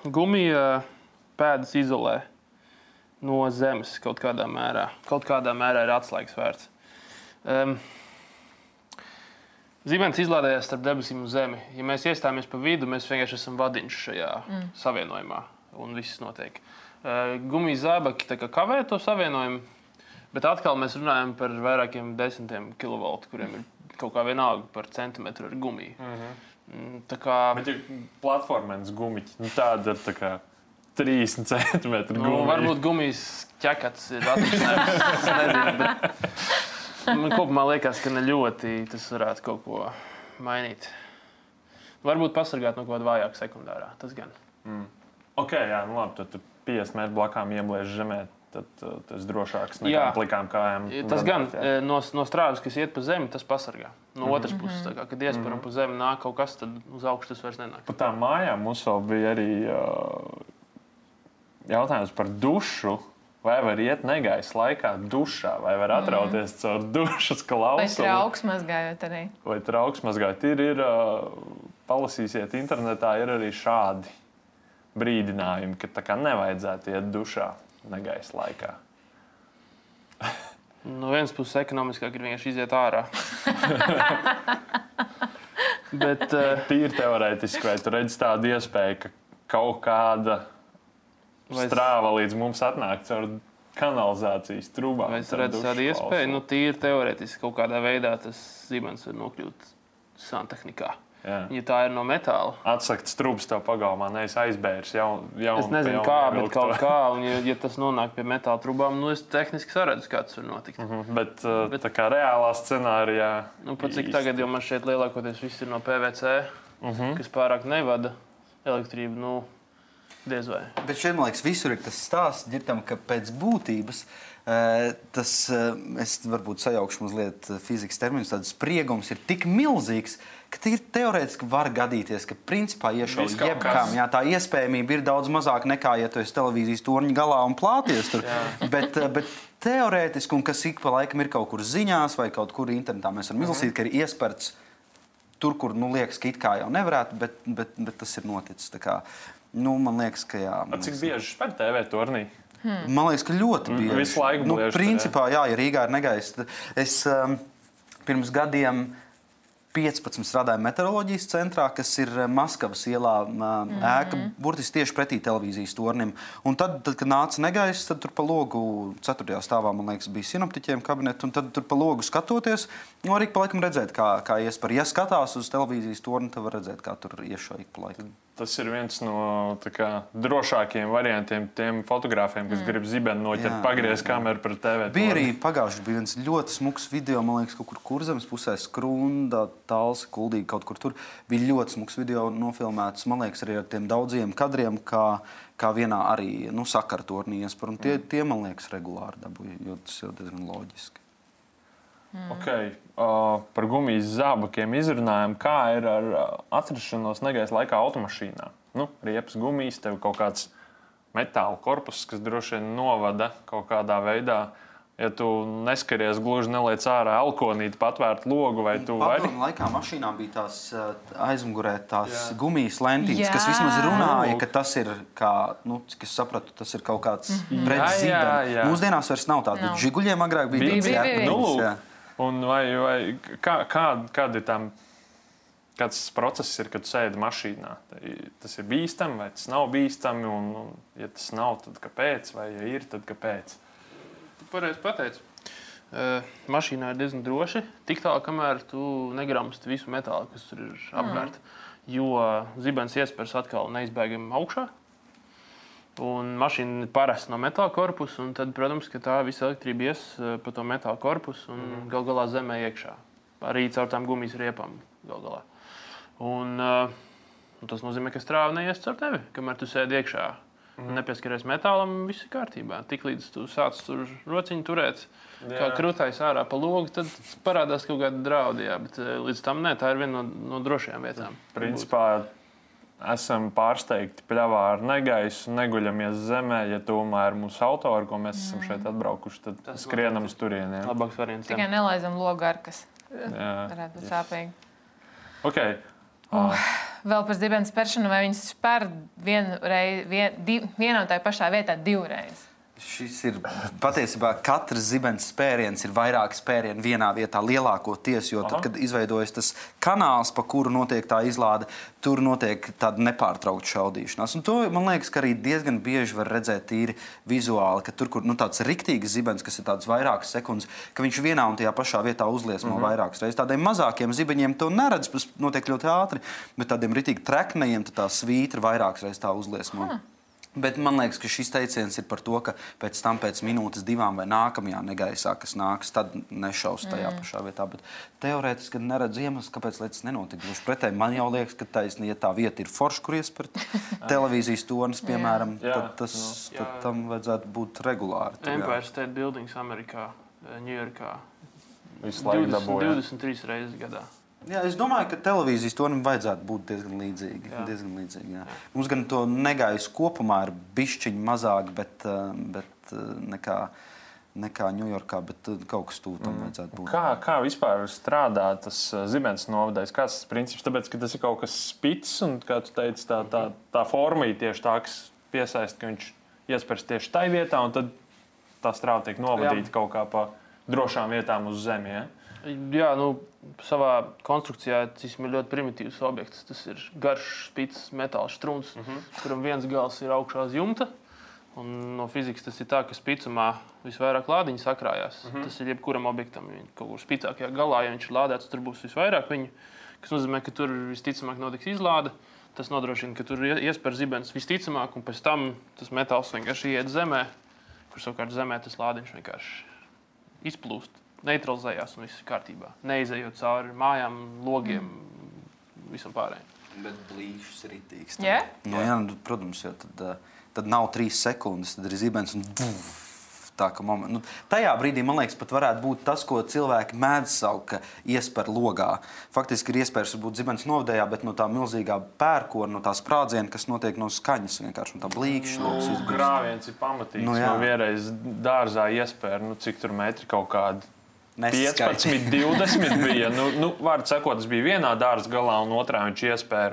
Gumija pēdas izolē no zemes kaut kādā mērā. Kaut kādā mērā ir atslēgas vērts. Um, Zibens izlādējās starp debesīm un zemi. Ja mēs iestājamies pa vidu, mēs vienkārši esam vadiņš šajā mm. savienojumā, un viss notiek. Uh, Gumijas zābaki tā kā kavē to savienojumu, bet atkal mēs runājam par vairākiem desmitiem kilovoltu, kuriem ir kaut kā vienalga par centimetru ar gumiju. Mm-hmm. Tā kā... Bet ir platformens gumiķi, nu tāda ir tā kā trīsdesmit centimetru gumija. Nu, varbūt gumijas ķekats ir atrisinājums, es nezinu, bet man kopumā liekas, ka ne ļoti tas varētu kaut ko mainīt. Varbūt pasargāt no kaut kāda vājāka sekundārā, tas gan. Mm. Ok, jā, nu labi, tad tu piecdesmit metru blakām iebliež žemē, tad uh, tas drošāks nekā plikām kājām. Tas gan, no, no strāvas, kas iet pa zemi, tas pasargā. No mm-hmm. otras puses, tā kā, kad iesper un mm-hmm. pa zemi nāk kaut kas, tad uz augšu tas vairs nenāk. Pa tām mājām mums vēl bija arī uh, jautājums par dušu. Vai var iet negaisa laikā dušā, vai var atrauties mm. caur dušas klausuli? Vai trauks mazgājot arī? Vai trauks mazgājot. Ir, ir palasīsiet internetā, ir arī šādi brīdinājumi, ka tā kā nevajadzētu iet dušā negaisa laikā. No vienas puses ekonomiskāk ir vienkārši iziet ārā. Bet, uh, Tīri teorētiski, vai tu redzi tādu iespēju, ka kaut kāda Vai es- strāva līdz mums atnāk caur kanalizācijas trūbām? vai es redzu tādu iespēju? Nu, tīri teorētiski kaut kādā veidā tas zibens var nokļūt santehnikā. Jā. Ja tā ir no metāla. Atsakts trūks tev pagalmā, nevis aizbērs. Jau, jau Es nezinu, kā, bet kaut kā, un ja, ja tas nonāk pie metāla trubām, nu es tehniski saredzu, kā tas var notikt. Mm -hmm. Bet, uh, bet tā kā reālā scenārijā. Nu, pat cik īsti- tagad, jo man šeit lielākoties viss ir no P V C, Mm -hmm. kas pārāk nevada elektrību, nu, diez vai. Bet šeit, man liekas, visur ir tas stāsts, ģirtam, ka pēc būtības eh, tas, eh, es varbūt sajaukšu mazliet eh, fizikas terminus, tāds spriegums ir tik milzīgs, ka ir teorētiski var gadīties, ka principā iešauj Viss kaut jebkam. kas. Jā, tā iespējamība ir daudz mazāka nekā, ja tu esi televīzijas torņa galā un plāties tur. bet, eh, bet teorētiski, un kas ik pa laikam ir kaut kur ziņās vai kaut kur internetā, mēs varam izlasīt, ka ir iesperts tur, kur, nu, liekas, ka it kā jau nevarētu, bet, bet, bet tas ir noticis. Tā kā, nu, man liekas, ka jā. man Cik liekas, bieži spēr T V turnī? Man liekas, ka ļoti bieži. Visu laiku nu, bliež, principā, jā, ja Rīgā ir negaiss. tad Es um, pirms gadiem piecpadsmit strādāju meteoroloģijas centrā, kas ir Maskavas ielā um, ēka, burtiski tieši pretī televīzijas tornim. Un tad, tad kad nāca negaiss, tad tur pa logu ceturtajā stāvā, man liekas, bija sinoptiķiem kabineti, un tad tur pa logu skatoties, nu, arī pa laikam redzēt, kā, kā iespēr. Ja skatās uz televīzijas torni, tad var redzēt, kā tur iešauj ik pa laikam. Tas ir viens no tā kā, drošākajiem variantiem tiem fotogrāfiem, kas mm. grib zibeni noķert, Jā, pagriezt kameru par T V. Bija arī pagājušajā bija viens ļoti smags video, man liekas, kaut kur Kurzemes pusē, Skrunda, Tāls, Kuldīgi, kaut kur tur. Bija ļoti smags video nofilmēts, man liekas, arī ar tiem daudziem kadriem, kā, kā vienā arī nu, sakartornī iespēr. Un tie, tie, man liekas, regulāri dabūja, jo tas ir diezgan loģiski. Okay. Uh, par gumijas zābakiem izrunājām, kā ir ar uh, atrašanos negaisa laikā automašīnā. Nu, riepas gumijas, tev kaut kāds metāla korpus, kas droši vien novada kaut kādā veidā. Ja tu neskaries gluži neliec ārā alkonīti, patvērt logu, vai tu vari? Padomu laikā mašīnā bija tās uh, aizmugurē tās Jā. gumijas lentītes, Jā. kas vismaz runāja, Lūk. ka tas ir, kā, nu, cik es sapratu, tas ir kaut kāds Jā, pretzīme. jā. Mūsdienās vairs nav tāda. Nav. Žiguļiem agrāk bija Bija, tādas bija, bija. ķepiņas, Nu, lūk. jā. Un vai, vai, kā, kā, kāda ir tam, kāds tas process ir, kad tu sēdi mašīnā? Tas ir bīstami vai tas nav bīstami? Un, un, ja tas nav, tad kāpēc? Vai ja ir, tad kāpēc? Tu pareizi pateici. Uh, mašīnā ir diezgan droši. Tik tālu, kamēr tu negramsti visu metālu, kas tur ir apkārt. Jo zibens iespējas atkal neizbēgami augšā. Un mašīna ir parasta no metāla korpusa. Un tad, protams, ka tā visa elektrība ies uh, pa to metāla korpusu un mm. gal galā zemē iekšā. Arī caur tām gumijas riepām gal galā. Un, uh, un tas nozīmē, ka strāva neies caur tevi, kamēr tu sēdi iekšā. Mm. Nepieskaries metālam, viss ir kārtībā. Tiklīdz tu sāc tur rociņu turēt, jā. Kā krūtais ārā pa logu, tad parādās kaut kāda draudi. Jā, bet līdz tam nē, tā ir viena no, no drošajām vietām. Principā esam pārsteigti pļavā ar negaisu, neguļamies zemē. Ja tomēr mūsu auto, ar ko mēs mm. esam šeit atbraukuši, tad Tas skrienam uz turieni. Labāks variants. Tikai nelaizam logu ar kas. Jā. Varētu būt sāpīgi. Okay. Uh, vēl par zibens spēršanu, vai viņas spēr vienu reizi, vien, div, vienā un tajā pašā vietā divreiz? Šis ir patiesībā katrs zibens spēriens ir vairāki spērieni vienā vietā lielākoties, jo tad, Aha. kad izveidojas tas kanāls, pa kuru notiek tā izlāde, tur notiek tāda nepārtraukta šaudīšanās. Un to, man liekas, ka arī diezgan bieži var redzēt tīri vizuāli, ka tur, kur nu, tāds riktīgs zibens, kas ir tāds vairākas sekundes, ka viņš vienā un tajā pašā vietā uzliesmo mm-hmm. vairākas reizes. Tādiem mazākiem zibeņiem to neredz, tas notiek ļoti ātri, bet tādiem ritīgi treknējiem tā svītra vairākas reizes tā uzliesmo. Hmm. Bet man liekas, ka šis teiciens ir par to, ka pēc tam, pēc minūtes, divām vai nākamajā negaisā, kas nāks, tad nešaus tajā mm. pašā vietā. Bet teorētiski neredz iemesls, kāpēc lietas nenotika. Gluži pretēji, man jau liekas, ka taisni, ja tā vieta ir forša, kur iespērt televīzijas tornis, piemēram, Jā. tad, tas, Jā. tad tam vajadzētu būt regulāri. Tur, jā. Empire State Buildings Amerikā, Ņujorkā. Visu laiku dabūja. divdesmit trīs reizes gadā. Jā, es domāju, ka televīzijas tornim vajadzētu būt diezgan līdzīgi. Jā. Diezgan līdzīgi jā. Jā. Mums gan to negaisu kopumā ir bišķiņi mazāk, bet, bet nekā, nekā Ņujorkā, bet kaut kas tuvu tam mm. vajadzētu būt. Kā, kā vispār strādā tas zibens novadājs? Kāds tas princips? Tāpēc, ka tas ir kaut kas spits un, kā tu teici, tā, tā, tā formija tieši tā, kas piesaista, ka viņš iespērs tieši tai vietā un tad tā strāva tiek novadīta Jā. kaut kā pa drošām vietām uz zemi. Ja? Jā, nu, savā konstrukcijā tas ir ļoti primitīvs objekts. Tas ir garš, spits, metāla štruns, uh -huh. kuram viens gals ir augšā uz jumta. Un no fizikas tas ir tā, ka spicumā visvairāk lādiņu sakrājās. Uh -huh. Tas ir jebkuram objektam. Kaut kur spicākajā galā, ja viņš ir lādēts, tur būs visvairāk viņu. Kas nozīmē, ka tur visticamāk notiks izlāde. Tas nodrošina, ka tur iespēr zibens visticamāk, un pēc tam tas metāls vienkārši iet zemē, kur savukārt zemē tas lādiņš vienkārši izplūst, neutralizējās un viss ir kārtībā. Neizejot cauri mājām, logiem, mm. visam pārējiem. Bet blīšs ritīgs. Yeah? Nu, jā, nu, protams, jo tad, tad nav trīs sekundes, tad ir zibens un buf, tā, ka moment, nu, tajā brīdī, man liekas, pat varētu būt tas, ko cilvēki mēdz saukt, ka iesper logā. Faktiski ir iespējas būt zibens novadējā, bet no tā milzīgā pērkona, no tā sprādziena, kas notiek no skaņas vienkārši, un tā blīkšķi loks izbrīst. Grāviens ir pamatīgs. Nu, no vienreiz dārzā iespēja, nu, cik tur metri kaut kādi piecpadsmit, divdesmit bija. Nu, nu, vārds sakot, tas bija vienā dārza galā, un otrā viņš iespēja.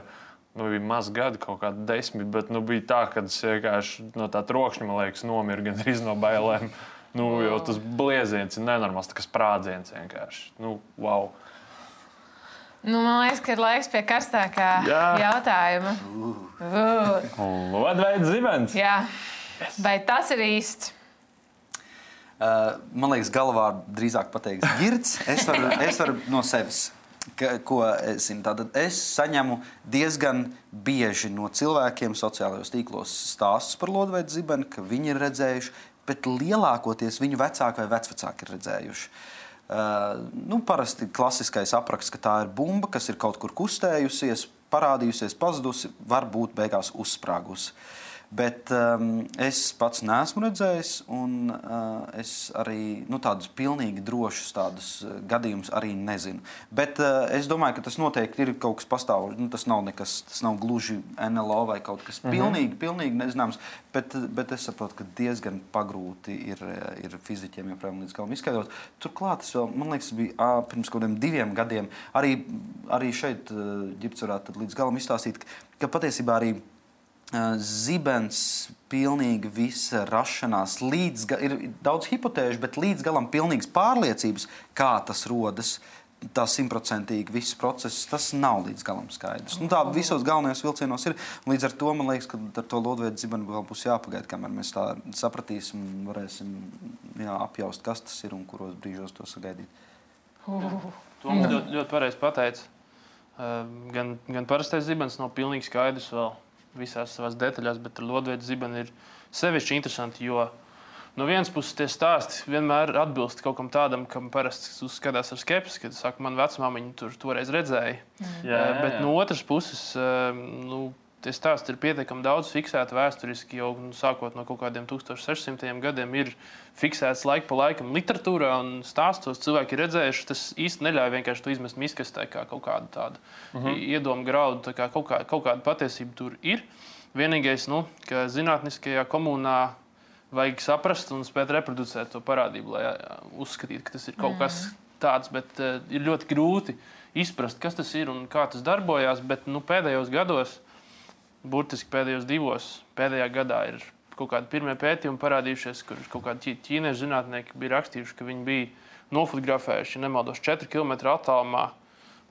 Nu, bija maz gadi, kaut kādi desmit, bet nu, bija tā, ka es vienkārši no tā trokšņa, man liekas, nomiru gan arī no bailēm. Nu, jo tas blieziens ir nenormāls, tā kā sprādziens vienkārši. Nu, wow. Nu, man liekas, ka ir laiks pie karstākā Jā. jautājuma. Uh. Lodveida zibens. Jā, yes. Vai tas ir īsts? Uh, man liekas, galvā drīzāk pateiks girds. Es varu, es varu no sevis. Ka, ko es zinu, tātad es saņemu diezgan bieži no cilvēkiem sociālajos tīklos stāstus par lodveida zibeni, ka viņi ir redzējuši, bet lielākoties viņu vecāki vai vecvecāki ir redzējuši. Uh, nu, parasti klasiskais apraksts, ka tā ir bumba, kas ir kaut kur kustējusies, parādījusies, pazudusi, varbūt beigās uzsprāgusi. Bet um, es pats neesmu redzējis, un uh, es arī nu, tādus pilnīgi drošus tādus uh, gadījumus arī nezinu. Bet uh, es domāju, ka tas noteikti ir kaut kas pastāv. Nu, tas nav nekas, tas nav gluži N L O vai kaut kas pilnīgi, pilnīgi nezināms. Bet, bet es saprotu, ka diezgan pagrūti ir, ir fiziķiem joprojām līdz galam izskaidrot. Turklāt, es vēl, man liekas, bija ā, pirms kaut kādiem diviem gadiem. Arī, arī šeit uh, Ģirds varētu līdz galam izstāstīt, ka patiesībā arī zibens pilnīgi visa rašanās, līdz, ir daudz hipotēžu, bet līdz galam pilnīgas pārliecības, kā tas rodas, tā simtprocentīgi viss process, tas nav līdz galam skaidrs. Nu, tā visos galvenajos vilcienos ir. Līdz ar to man liekas, ka ar to lodveida zibenu vēl būs jāpagaida, kamēr mēs tā sapratīsim un varēsim jā, apjaust, kas tas ir un kuros brīžos to sagaidīt. Uh. To mums ļoti, ļoti pareizi pateica. Gan, gan parastais zibens nav pilnīgi skaidrs vēl visās savās detaļās, bet ar lodveida zibeni ir sevišķi interesanti, jo no vienas puses tie stāsti vienmēr atbilst kaut kam tādam, kam parasti uzskatās ar skepsi, kad saka, man vecmāmiņa tur toreiz redzēja. Mm. Jā, jā, jā. Bet no otras puses, nu, tie stāsti ir pietiekami daudz fiksēti vēsturiski, jau nu, sākot no kaut kādiem tūkstoš sešsimtajiem gadiem ir fiksēts laika pa laikam literatūrā un stāstos cilvēki ir redzējuši. Tas īsti neļauj vienkārši to izmest miskastē kā kaut kādu tādu uh-huh. iedomu graudu, tā kā kaut, kā, kaut kāda patiesība tur ir. Vienīgais, nu, ka zinātniskajā komunā vajag saprast un spēt reproducēt to parādību, lai uzskatītu, ka tas ir kaut kas tāds, bet uh, ir ļoti grūti izprast, kas tas ir un kā tas darbojās, bet nu, pēdējos gados, burtiski pēdējos divos, pēdējā gadā ir kaut kādi pirmie pētījumi parādījušies, kur kaut kādi ķīniešu zinātnieki bija rakstījuši, ka viņi bija nofotografējuši, nemaldos, četri kilometri attālumā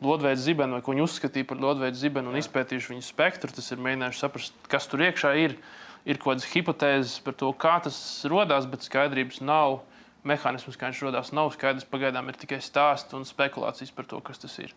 lodveida zibenu, vai ko viņi uzskatīja par lodveida zibenu un izpētījuši viņu spektru. Tas ir mēģinājuši saprast, kas tur iekšā ir. Ir kaut kādas hipotēzes par to, kā tas rodās, bet skaidrības nav. Mehānisms, kā viņš rodās, nav skaidrs. Pagaidām ir tikai stāsti un spekulācijas par to, kas tas ir.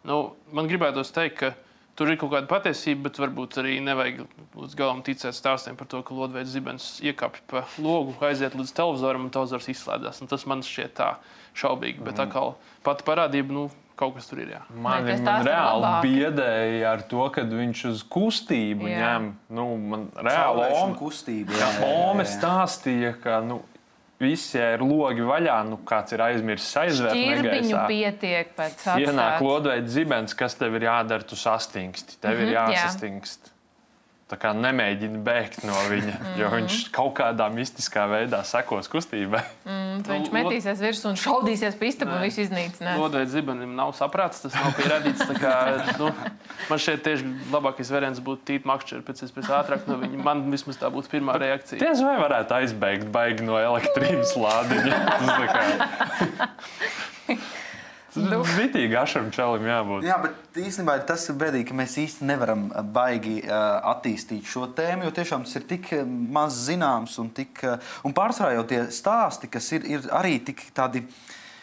Nu, man gribētos teikt, ka tur ir kaut kāda patiesība, bet varbūt arī nevajag līdz galam ticēt stāstiem par to, ka lodveida zibens iekāpj pa logu, aiziet līdz televizoram un televizors izslēdzās. Un tas man šķiet tā šaubīgi, bet tā kā pati parādība, nu, kaut kas tur ir, jā. Man, man reāli biedēja ar to, kad viņš uz kustību jā. ņem. Nu, man reāli Ome, kustība, jā, jā, jā, jā. Ome stāstīja, ka, nu, visi ir logi vaļā, nu kāds ir aizmirsis aizvērt negaisā. Šķirbiņu pietiek pēc atstāt. Ienāk lodveida zibens, kas tev ir jādara, tu sastingsti. Tev mm-hmm, ir jāsastingst. Jā. tā kā nemēģini bēgt no viņa, mm. jo viņš kaut kādā mistiskā veidā sekos kustībai. Mm, viņš metīsies virsū un šaudīsies pa istabu un visu iznīcinās. Lodveida zibenim nav saprāts, tas nav pierādīts. Tā kā, nu, man šeit tieši labākais variants būtu tīp makšķeri pēc iespējas ātrāk no viņa. Man vismaz tā būtu pirmā reakcija. Tiesa vai varētu aizbēgt baigi no elektrības lādiņa? Tas tā kā... Vitīgi ašam čalim jābūt. Jā, bet īstenībā tas ir bēdīgi, ka mēs īsti nevaram baigi uh, attīstīt šo tēmu, jo tiešām tas ir tik maz zināms un, tik, uh, un pārsvarā jau tie stāsti, kas ir, ir arī tik tādi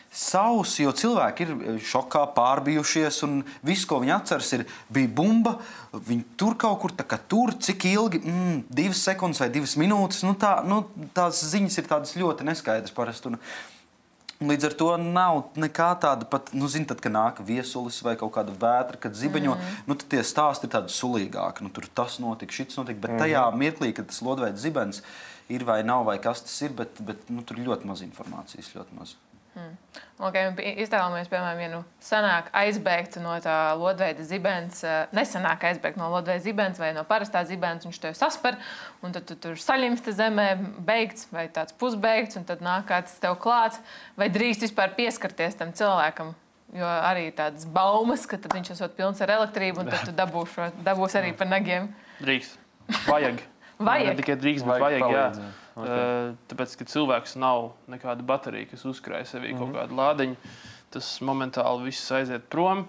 sausi, jo cilvēki ir šokā pārbijušies un viss, ko viņi atceras, ir bija bumba, viņi tur kaut kur tā kā tur, cik ilgi, mm, divas sekundes vai divas minūtes, nu, tā, nu tās ziņas ir tādas ļoti neskaidras parasti. Un, Līdz ar to nav nekā tāda pat, nu, zin, tad, kad nāk viesulis vai kaut kāda vētra, kad zibeņo, mm. nu, tad tie stāsti ir tādi sulīgāki. Nu, tur tas notika, šits notika, bet tajā mirklī, kad tas lodveida zibens ir vai nav, vai kas tas ir, bet, bet nu, tur ir ļoti maz informācijas, ļoti maz. Mm. Okay, iztēlojamies, piemēram, ja nu sanāk aizbēgt no tā lodveida zibens, nesanāk aizbēgt no lodveida zibens vai no parastā zibens, viņš tev sasper, un tad tu tur saļimsti zemē, beigts vai tāds pusbeigts, un tad nāk kāds tev klāts, vai drīkst vispār pieskarties tam cilvēkam, jo arī tādas baumas, ka tad viņš esot pilns ar elektrību, un tad tu dabūšu, dabūs arī par nagiem. Drīkst. Vajag. Vajag. Ne tikai drīkst, bet vajag, vajag jā. Okay. Tāpēc, ka cilvēks nav nekāda baterija, kas uzkrāja sevī mm-hmm. kaut kādu lādiņu, tas momentāli viss aiziet prom.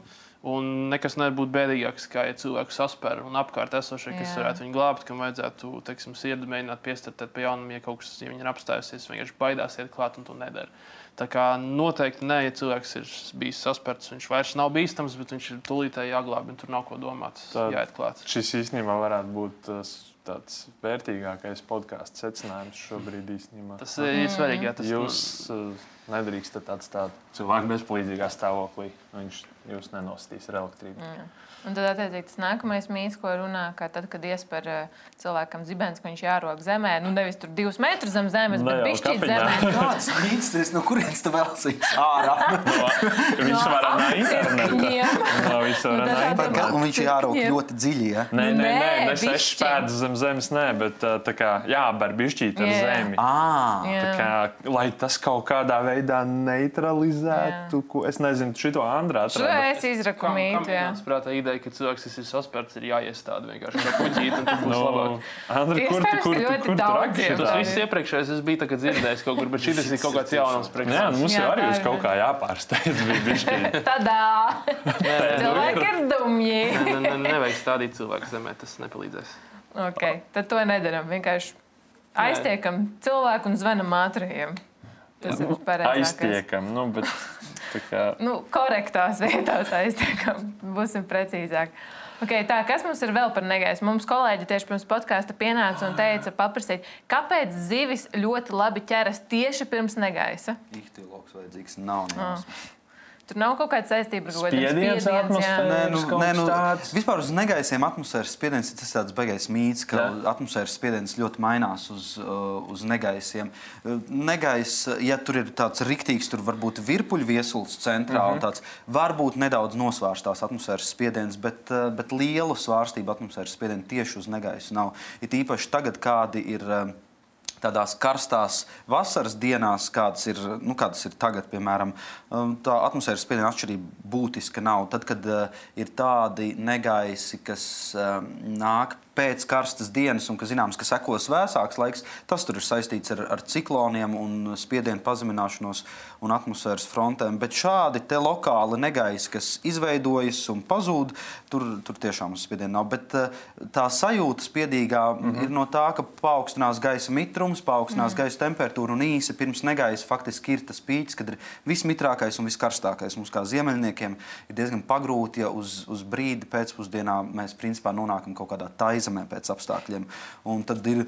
Un nekas nevar būt bēdīgāks, kā ja cilvēku sasper un apkārt esošie, kas Jā. varētu viņu glābt, kam vajadzētu, teiksim, sirdi mēģināt piestartēt pa jaunam, ja kaut kas, ja viņi ir apstājusies, vienkārši baidās iet klāt un to nedara. Tā kā noteikti ne, ja cilvēks ir bijis sasperts, viņš vairs nav bīstams, bet viņš ir tūlītēji jāglāb, un tur nav ko domāt, Tad jāiet klāt. Šis īstenībā varētu būt tas tāds vērtīgākais podkāstu secinājums šobrīd īstenībā. Tas ir mm. svarīgi, jā. Tas jūs uh, nedrīkstat atstāt cilvēku bezpalīdzīgā stāvoklī. Viņš jūs nenostīs ar elektrību. Mm. Un tad, attiecīgi, tas nākamais mīts, ko runā, ka tad, kad iesper uh, cilvēkam zibens, ka viņš jārok zemē, nu nevis tur divus metrus zem zemes, ne bet bišķīt zemē. Kāds mīts, tas no kurienes tu vēlsīs ārā? Viņš var no interneta. No visu var no interneta. Un viņš jārok ļoti dziļi, ja? Nē, nē, nē, ne sešas pēdas zem zemes, nē, bet tā kā jāber bišķīt ar zemi. Tā kā, lai tas kaut kādā veidā neutralizētu, ko, es nezinu, šito Andrā atrada. Šo es izraku mītu, jā. Ka cilvēks, kas ir sasperts, ir jāiestāda vienkārši kā kuģīt, un tad būs no, labāk. Andri, kur tu, kur, kur, kur tu raki? Tas viss iepriekšējais es biju tā, dzirdējis kaut kur, bet šis ir kaut kāds jaunums priekš. Jā, mums jau arī uz kaut kā jāpārsteidz bija bišķi. Tadā! Cilvēki ir dumji. Ne, ne, nevajag stādīt cilvēku zemē, tas nepalīdzēs. Ok, tad to nedaram. Vienkārši aiztiekam cilvēku un zvanam ātrajiem. Tas ir pareizākais. Aiztiekam, nu, bet... Kā... Nu, korektās vietās aiztiekam, būsim precīzāk. Okay, tā, kas mums ir vēl par negaisu? Mums kolēģi tieši pirms podkāsta pienāca un teica paprasīt, kāpēc zivis ļoti labi ķeras tieši pirms negaisa? Ihtiologs vajadzīgs nav nejausmas. Oh. Tur nav kaut kāda saistība ar kaut kādiem spiediens, atmosfēras, nē, nu, nē, nu, tāds. Vispār uz negaisiem atmosfēras spiediens ir tas tāds baigais mīts, ka jā. Atmosfēras spiediens ļoti mainās uz, uz negaisiem. Negais, ja tur ir tāds riktīgs, tur varbūt virpuļu viesulis centrā mm-hmm. un tāds, varbūt nedaudz nosvārstās atmosfēras spiediens, bet, bet lielu svārstību atmosfēras spiedienu tieši uz negaisu nav. It īpaši tagad kādi ir... Tādās karstās vasaras dienās, kādas ir, nu, kādas ir tagad, piemēram, tā atmosfēras spiediena atšķirība būtiska nav. Tad, kad uh, ir tādi negaisi, kas uh, nāk pēc karstas dienas un, ka zināms, ka sekos vēsāks laiks, tas tur ir saistīts ar, ar cikloniem un spiedienu pazemināšanos un atmosfēras frontēm. Bet šādi te lokāli negaisi, kas izveidojas un pazūd, tur, tur tiešām spiediena nav. Bet uh, tā sajūta spiedīgā mm-hmm. ir no tā, ka paaugstinās gaisa mitrums, paaugstinās mm. gaisa temperatūra un īsi pirms negaisa faktiski ir tas pīķis, kad ir vismitrākais un viskarstākais. Mums kā ziemeļniekiem ir diezgan pagrūti, ja uz, uz brīdi pēcpusdienā mēs principā nonākam kaut kādā taizemē pēc apstākļiem. Un tad ir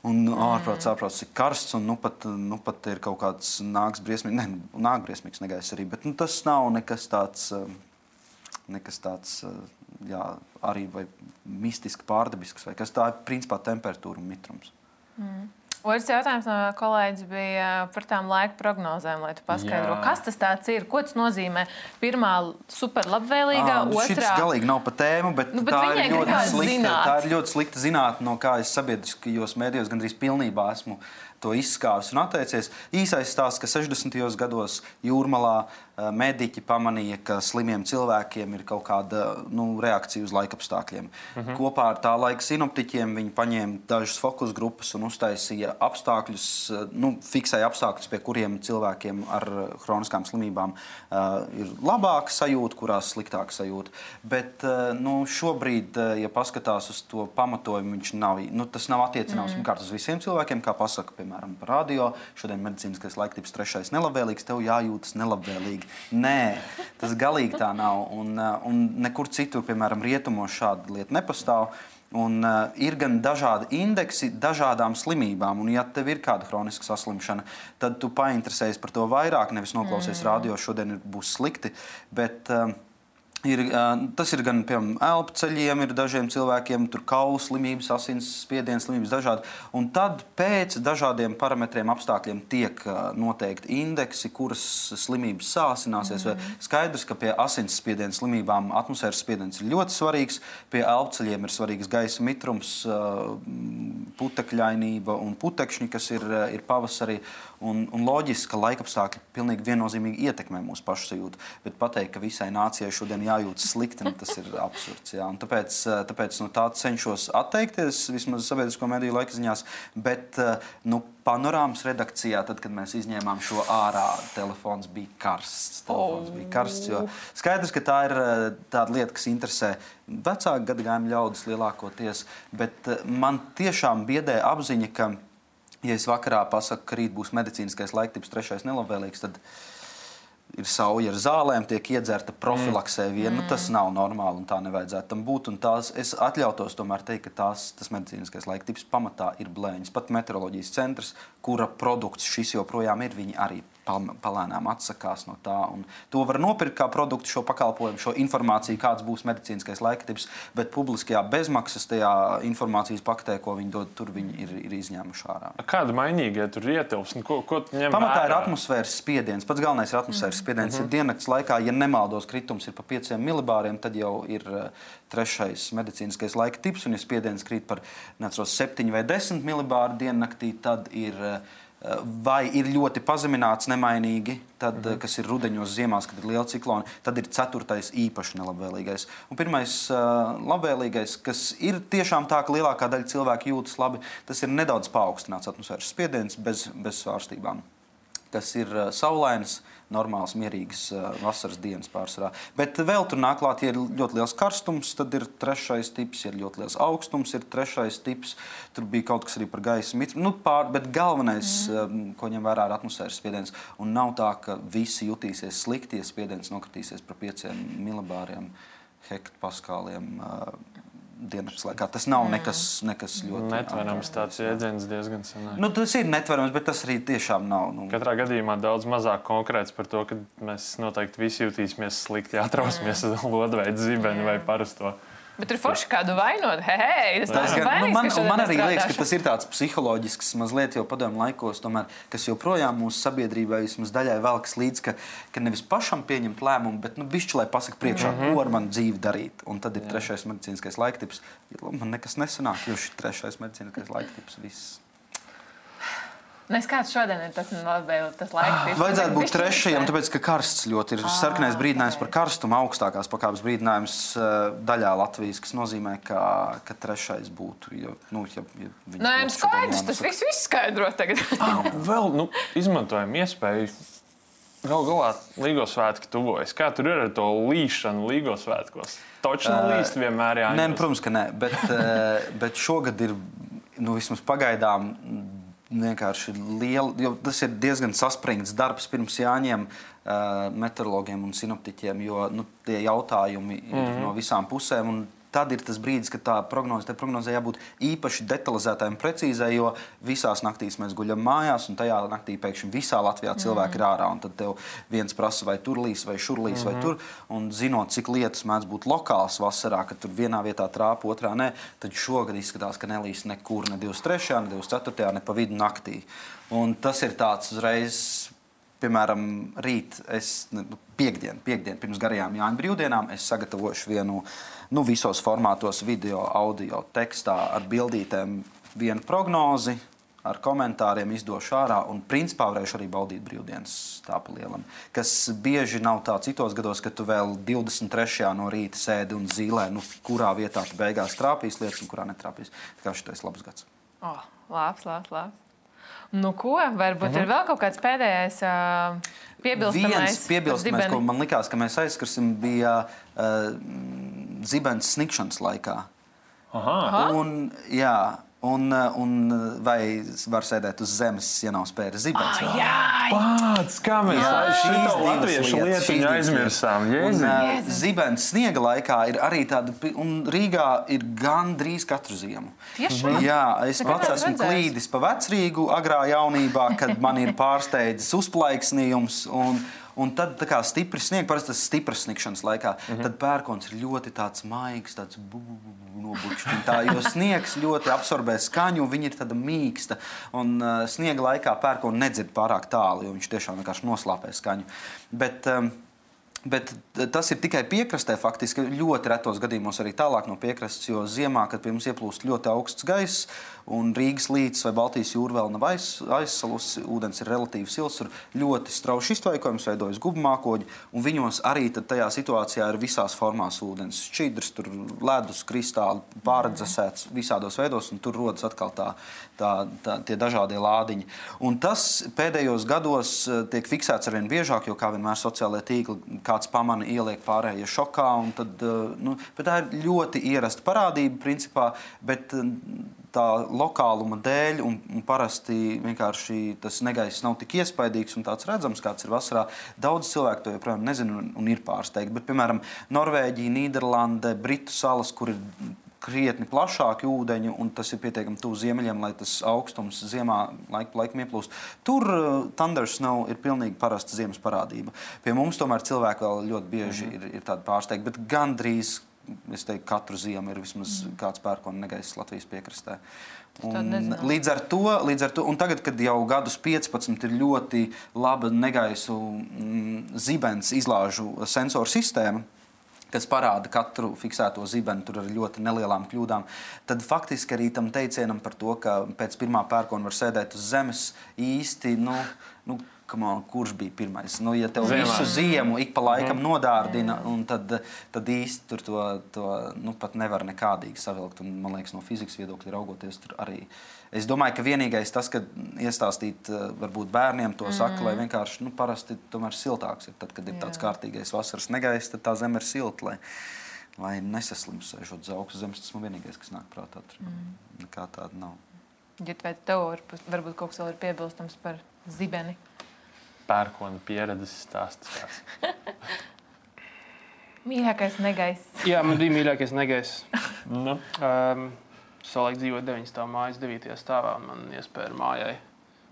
un ārprāts, ārprāts ir karsts un nu pat, nu pat ir kaut kāds nāks briesmīgs, ne, nāk briesmīgs negaiss arī, bet nu, tas nav nekas tāds, nekas tāds, jā, arī vai mistiski pārdabisks vai kas tā ir principā temperatūra un mitrums. Mm. Otrs jautājums no kolēģis bija par tām laika prognozēm, lai tu paskaidro, Jā. kas tas tāds ir, ko tas nozīmē. Pirmā superlabvēlīgā, À, otrā... Šis galīgi nav pa tēmu, bet, Nu, bet tā, viņai ir ļoti gribās slikta, zināt. tā ir ļoti slikta zinātne, no kā es sabiedriskajos mēdījos gandrīz pilnībā esmu to izskāvis un atteicies. Īsais stāsts, ka sešdesmitajos gados Jūrmalā mediķi pamanīja, ka slimiem cilvēkiem ir kaut kāda nu, reakcija uz laikapstākļiem. Mhm. Kopā ar tā laika sinoptiķiem viņi paņēma dažas fokus grupas un uztaisīja apstākļus, nu, fiksēja apstākļus, pie kuriem cilvēkiem ar hroniskām slimībām uh, ir labāka sajūta, kurās sliktāka sajūta. Bet uh, nu, šobrīd, uh, ja paskatās uz to pamatojumu, viņš nav, nu, tas nav attiecināms mm. uz visiem cilvēkiem, kā pasaka, piemēram, par radio. Šodien medicīniskais laiktips trešais nelabvēlīgs, tev jājūtas nelabvēlīgi. Nē, tas galīgi tā nav. Un, un nekur citur, piemēram, rietumos šāda lieta nepastāv. Un, uh, ir gan dažādi indeksi dažādām slimībām. Un, ja tev ir kāda hroniska saslimšana, tad tu painteresējies par to vairāk, nevis noklausies mm. radio, šodien ir, būs slikti. Bet, uh, Ir, tas ir gan piemēram elpceļiem, ir dažiem cilvēkiem tur kaulu slimības, asins spiediens slimības dažādi. Un tad pēc dažādiem parametriem, apstākļiem tiek noteikti indeksi, kuras slimības sāsināsies. Mm. Skaidrs, ka pie asins spiediena slimībām atmosfēras spiediens ir ļoti svarīgs, pie elpceļiem ir svarīgs gaisa mitrums, putekļainība un putekšņi, kas ir, ir pavasarī. Un, un loģiski, ka laikapstākļi pilnīgi viennozīmīgi ietekmē mūsu pašsajūtu. Bet pateikt, ka visai nācijai šodien jājūtas slikti, tas ir absurds. Jā. Un tāpēc tāpēc no tā cenšos atteikties, vismaz sabiedrisko mediju laikziņās. Bet nu, Panorāmas redakcijā, tad, kad mēs izņēmām šo ārā, telefons bija karsts. Telefons bija karsts, jo skaidrs, ka tā ir tāda lieta, kas interesē vecāku gadagājumu ļaudis lielākoties. Bet man tiešām biedē apziņa, ka ja es vakarā pasaku, ka rīt būs medicīniskais laiktips trešais nelabvēlīgs, tad ir sauja ar zālēm, tiek iedzerta profilaksē viena. Mm. Nu, tas nav normāli un tā nevajadzētu tam būt. Un tās, es atļautos tomēr teikt, ka tās, tas medicīniskais laiktips pamatā ir blēņas. Pat meteoroloģijas centrs, kura produkts šis joprojām ir, viņi arī palēnām atsakās no tā. Un to var nopirkt kā produktu, šo pakalpojumu, šo informāciju, kāds būs medicīniskais laiktips, bet publiskajā bezmaksas tajā informācijas paktē, ko viņi dod, tur viņi ir, ir izņēmuši ārā. Kāda mainīga tur ietilps? Ko, ko ņem Pamatā vērā? ir atmosfēras spiediens. Pats galvenais ir atmosfēras mm. spiediens. Mm-hmm. Diennakts laikā, ja nemaldos, kritums ir pa pieciem milibāriem, tad jau ir uh, trešais medicīniskais laika tips, un ja spiediens krīt par neatceros, septiņi vai desmit milibāru diennaktī, tad ir uh, vai ir ļoti pazemināts nemainīgi, tad, mm-hmm. kas ir rudeņos, ziemās, kad ir liela ciklona, tad ir ceturtais īpaši nelabvēlīgais. Un pirmais uh, labvēlīgais, kas ir tiešām tā, ka lielākā daļa cilvēku jūtas labi, tas ir nedaudz paaugstināts atmosfēras spiediens bez, bez svārstībām. Kas ir uh, saulains, normāls, mierīgs uh, vasaras dienas pārsvarā. Bet vēl tur nāk klāt, ja ir ļoti liels karstums, tad ir trešais tips, ja ir ļoti liels augstums, ir trešais tips. Tur bija kaut kas arī par gaisa mitru. Nu, pār, bet galvenais, mm. um, ko ņem vērā, ir atmosfēras spiediens. Un nav tā, ka visi jutīsies slikti, ja spiediens nokritīsies par pieciem milibāriem, hektopaskāliem uh, diennakts laikā. Tas nav nekas, nekas ļoti... Netverams tāds jēdziens diezgan senāk. Nu, tas ir netverams, bet tas arī tiešām nav. Nu... Katrā gadījumā daudz mazāk konkrēts par to, ka mēs noteikti visi jutīsimies slikti, ja atrausmies uz lodveidu zibeni vai parasto. Bet tur forši kādu vainot. Hei, hei, tas tas gan, vainīgs, nu, man, ka man arī strādāšu. liekas, ka tas ir tāds psiholoģisks mazliet jau padomju laikos, tomēr, kas joprojām mūsu sabiedrībai vismaz daļai velkas līdz, ka, ka nevis pašam pieņemt lēmumu, bet nu, bišķi, lai pasaka priekšā, mm-hmm. ko ar manu dzīvi darīt. Un tad ir Jā. trešais medicīniskais laiktips. Man nekas nesanāk, jo šis trešais medicīniskais laiktips viss. Nes kāds šodien ir tas, tas laiks? Vajadzētu būt trešajam, tāpēc, ka karsts ļoti ir sarkanais brīdinājums par karstumu, augstākās pakāpes brīdinājums daļā Latvijas, kas nozīmē, ka, ka trešais būtu. Jo, nu, ja, ja Nē, nu skaidrs, tas viss viss skaidro tagad. ah, vēl, nu, izmantojam iespēju. Gal galā Līgo svētki tuvojas. Kā tur ir ar to līšanu Līgo svētkos? Točni uh, līst vienmēr jāņem. Nē, nu, protams, ka nē, bet, bet šogad ir, nu, vismaz pagaidām, vienkārši liela, jo tas ir diezgan saspringts darbs pirms jāņem uh, meteorologiem un sinoptiķiem, jo nu, tie jautājumi ir mm-hmm. no visām pusēm un tad ir tas brīdis, kad tā prognoze, tai prognozē jābūt īpaši detalizētai un precīzai, jo visās naktīs mēs guļam mājās, un tajā naktī pēkšņi visā Latvijā cilvēki ir ārā, un tad tev viens prasa, vai tur līs, vai šur līs, vai tur, un zinot, cik lietas mēdz būt lokāls vasarā, kad tur vienā vietā trāpa, otrā nē, tad šogad izskatās, ka nelīs nekur, ne divdesmit trešajā, ne divdesmit ceturtajā, ne pa vidu naktī. Un tas ir tāds uzreiz, piemēram, rīt, es, piekdien, piekdien pirms garajām Jāņu brīvdienām, es sagatavošu vienu, nu, visos formātos, video, audio, tekstā ar bildītēm vienu prognozi, ar komentāriem izdošu ārā un principā varēšu arī baudīt brīvdienas tā pa lielam. Kas bieži nav tā citos gados, ka tu vēl divdesmit trešajā no rīta sēdi un zīlē, nu, kurā vietā tu beigās trāpīs lietas un kurā netrāpīs. Tā kā šitais labs gads. O, oh, labs, labs, labs. Nu ko, varbūt mhm. ir vēl kaut kāds pēdējais uh, piebilstamais? Viens piebilstamais, ko man likās, ka mēs aizskarsim, bija uh, zibens snikšanas laikā. Aha. Un, jā, Un, un vai var sēdēt uz zemes, ja nav spēris zibens? Ah, jā, Pats, kā mēs šito latviešu lietiņu aizmirsām. Un, uh, zibens sniega laikā ir arī tāda, un Rīgā ir gandrīz katru ziemu. Tiešām? Jā, es Tā pats kā esmu redzēs. klīdis pa Vecrīgu agrā jaunībā, kad man ir pārsteidzis uzplaiksnījums, un Un tad tā kā stipri snieg, parasti tas stipras sniegšanas laikā, mm-hmm. tad pērkons ir ļoti tāds maigs, tāds nobučķin tā, jo sniegs ļoti absorbē skaņu, un viņa ir tāda mīksta. Un uh, sniega laikā pērkonu nedzird pārāk tālu, jo viņš tiešām vienkārši noslāpē skaņu. Bet, um, bet tas ir tikai piekrastē faktiski, ļoti retos gadījumos arī tālāk no piekrastes, jo ziemā, kad pie mums ieplūst ļoti augsts gaiss, un Rīgas līcis vai Baltijas jūra vēl nav aiz, aizsalusi, ūdens ir relatīvi sils, tur ļoti strauši iztvaikojums, veidojas gubmākoņi, un viņos arī tad tajā situācijā ir visās formās ūdens. Šķidrs, tur ledus, kristāli, pārdzesēts visādos veidos, un tur rodas atkal tā, tā, tā, tie dažādie lādiņi. Un tas pēdējos gados tiek fiksēts arvien biežāk, jo kā vienmēr sociālajie tīkli kāds pamana ieliek pārējie šokā, un tad, nu, bet tā ir ļoti ierasta parādība, principā, bet tā lokāluma dēļ, un, un parasti vienkārši tas negaiss nav tik iespaidīgs un tāds redzams, kāds ir vasarā. Daudz cilvēku to joprojām nezinu un, un ir pārsteigti. Bet, piemēram, Norvēģija, Nīderlande, Britu salas, kur ir krietni plašāki ūdeņi, un tas ir pietiekami tuvu ziemeļiem, lai tas augstums ziemā laiku pa laikam ieplūst. Tur uh, thunder snow ir pilnīgi parasta ziemas parādība. Pie mums tomēr cilvēki vēl ļoti bieži mm-hmm. ir, ir tādi pārsteigti, bet gandrīz, es teiktu, katru ziemu ir vismaz mm. kāds pērkona negaiss Latvijas piekrastē. Un līdz ar to, līdz ar to, un tagad, kad jau gadus piecpadsmit ir ļoti laba negaisu mm, zibens izlāžu sensoru sistēma, kas parāda katru fiksēto zibeni tur ar ļoti nelielām kļūdām, tad faktiski arī tam teicienam par to, ka pēc pirmā pērkona var sēdēt uz zemes īsti, nu, nu on, kurš bija pirmais? Nu, ja tev Ziemā. Visu ziemu ik pa laikam mm. nodārdina, un tad, tad īsti tur to, to nu, pat nevar nekādīgi savilkt. Un, man liekas, no fizikas viedokļa raugoties tur arī. Es domāju, ka vienīgais tas, ka iestāstīt varbūt bērniem to saka, mm. lai vienkārši, nu, parasti tomēr siltāks ir. Tad, kad ir tāds Jā. Kārtīgais vasaras negaiss, tad tā zeme ir silta, lai, lai nesaslims sēžot uz augstu zemes. Tas man vienīgais, kas nāk prātā. Tur mm. nekā tāda nav. Ģit, vai tev varbūt kaut kas vēl ir piebilstams par zibeni? Pērkona pieredzes stāsts. Mīļākais negaiss. Jā, man bija mīļākais negaiss. Nu. Um, Savulaik dzīvoju deviņas stāvā mājas devītajā stāvā, un man iespēja mājai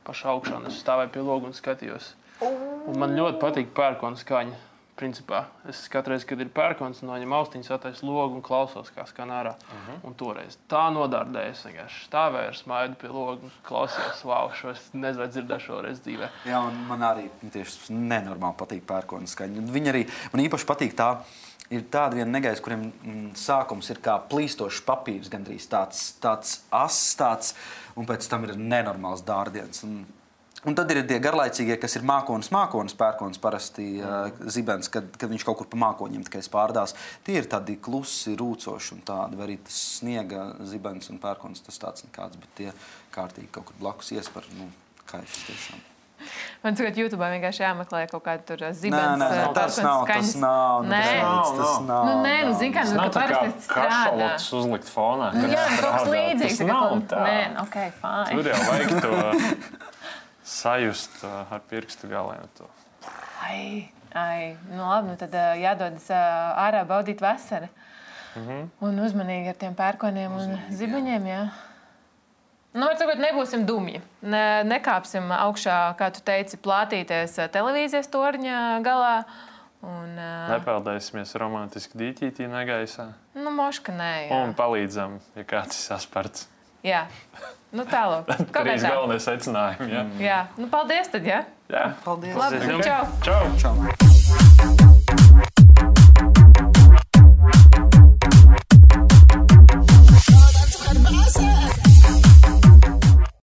pašā augšā, un es stāvēju pie loga un skatījos. Un man ļoti patīk pērkona skaņa. Principā es katreiz, kad ir pērkons, noņem austiņas, attaisu logu un klausos, kā skan ārā. Uh-huh. Un toreiz tā nodārdēju, es vienkārši stāvēju ar smaidu pie logu un klausījos, wow, šo es nezinu, vai dzirdēšu šoreiz dzīvē. Jā, un man arī tieši nenormāli patīk pērkona skaņa. Viņa arī, man īpaši patīk tā, ir tāda viena negaisa, kuriem mm, sākums ir kā plīstošs papīrs, gandrīz tāds, tāds ass, tāds, un pēc tam ir nenormāls dārdiens. Un, Un tad ir tie garlaicīgie, kas ir mākonis, mākonis, pērkons parasti uh, zibens, kad, kad viņš kaut kur pa mākoņiem tikai spārdās. Tie ir tādi klusi, rūcoši un tādi, vai arī tas sniega zibens un pērkons, tas tāds nekāds, bet tie kārtīgi kaut kur blakus iespar, nu, kaišas tiešām. Man tagad YouTube vienkārši jāmeklē kaut kādu tur zibens. Nē, nē, tas nav, tas nav, nē. tas, tas nav. Nu, nē, nu, zin kā, nu, ka parasti strādā. Kašalots uzlikt fonā. Jā, kaut kas līdzīgs. Tas nav tā. Nē, ok, fine. Tur jau vajag to sajust ar pirkstu galiem to. Ai, ai, nu labi, nu tad jādodas ārā baudīt vasaru. Mhm. Un uzmanīgi ar tiem pērkoniem un zibeņiem, jā. Nu, var sakot, nebūsim dumji. Ne, nekāpsim augšā, kā tu teici, plātīties televīzijas torņa galā. Un, Nepeldēsimies romantiski dīķītī negaisā. Nu, moška nē, jā. Un palīdzam, ja kāds ir sasparts. Jā, nu tālāk. Trīs galvenie secinājumi, jā. Jā, nu paldies tad, jā. Jā. Paldies! Labi, čau! Čau! Čau.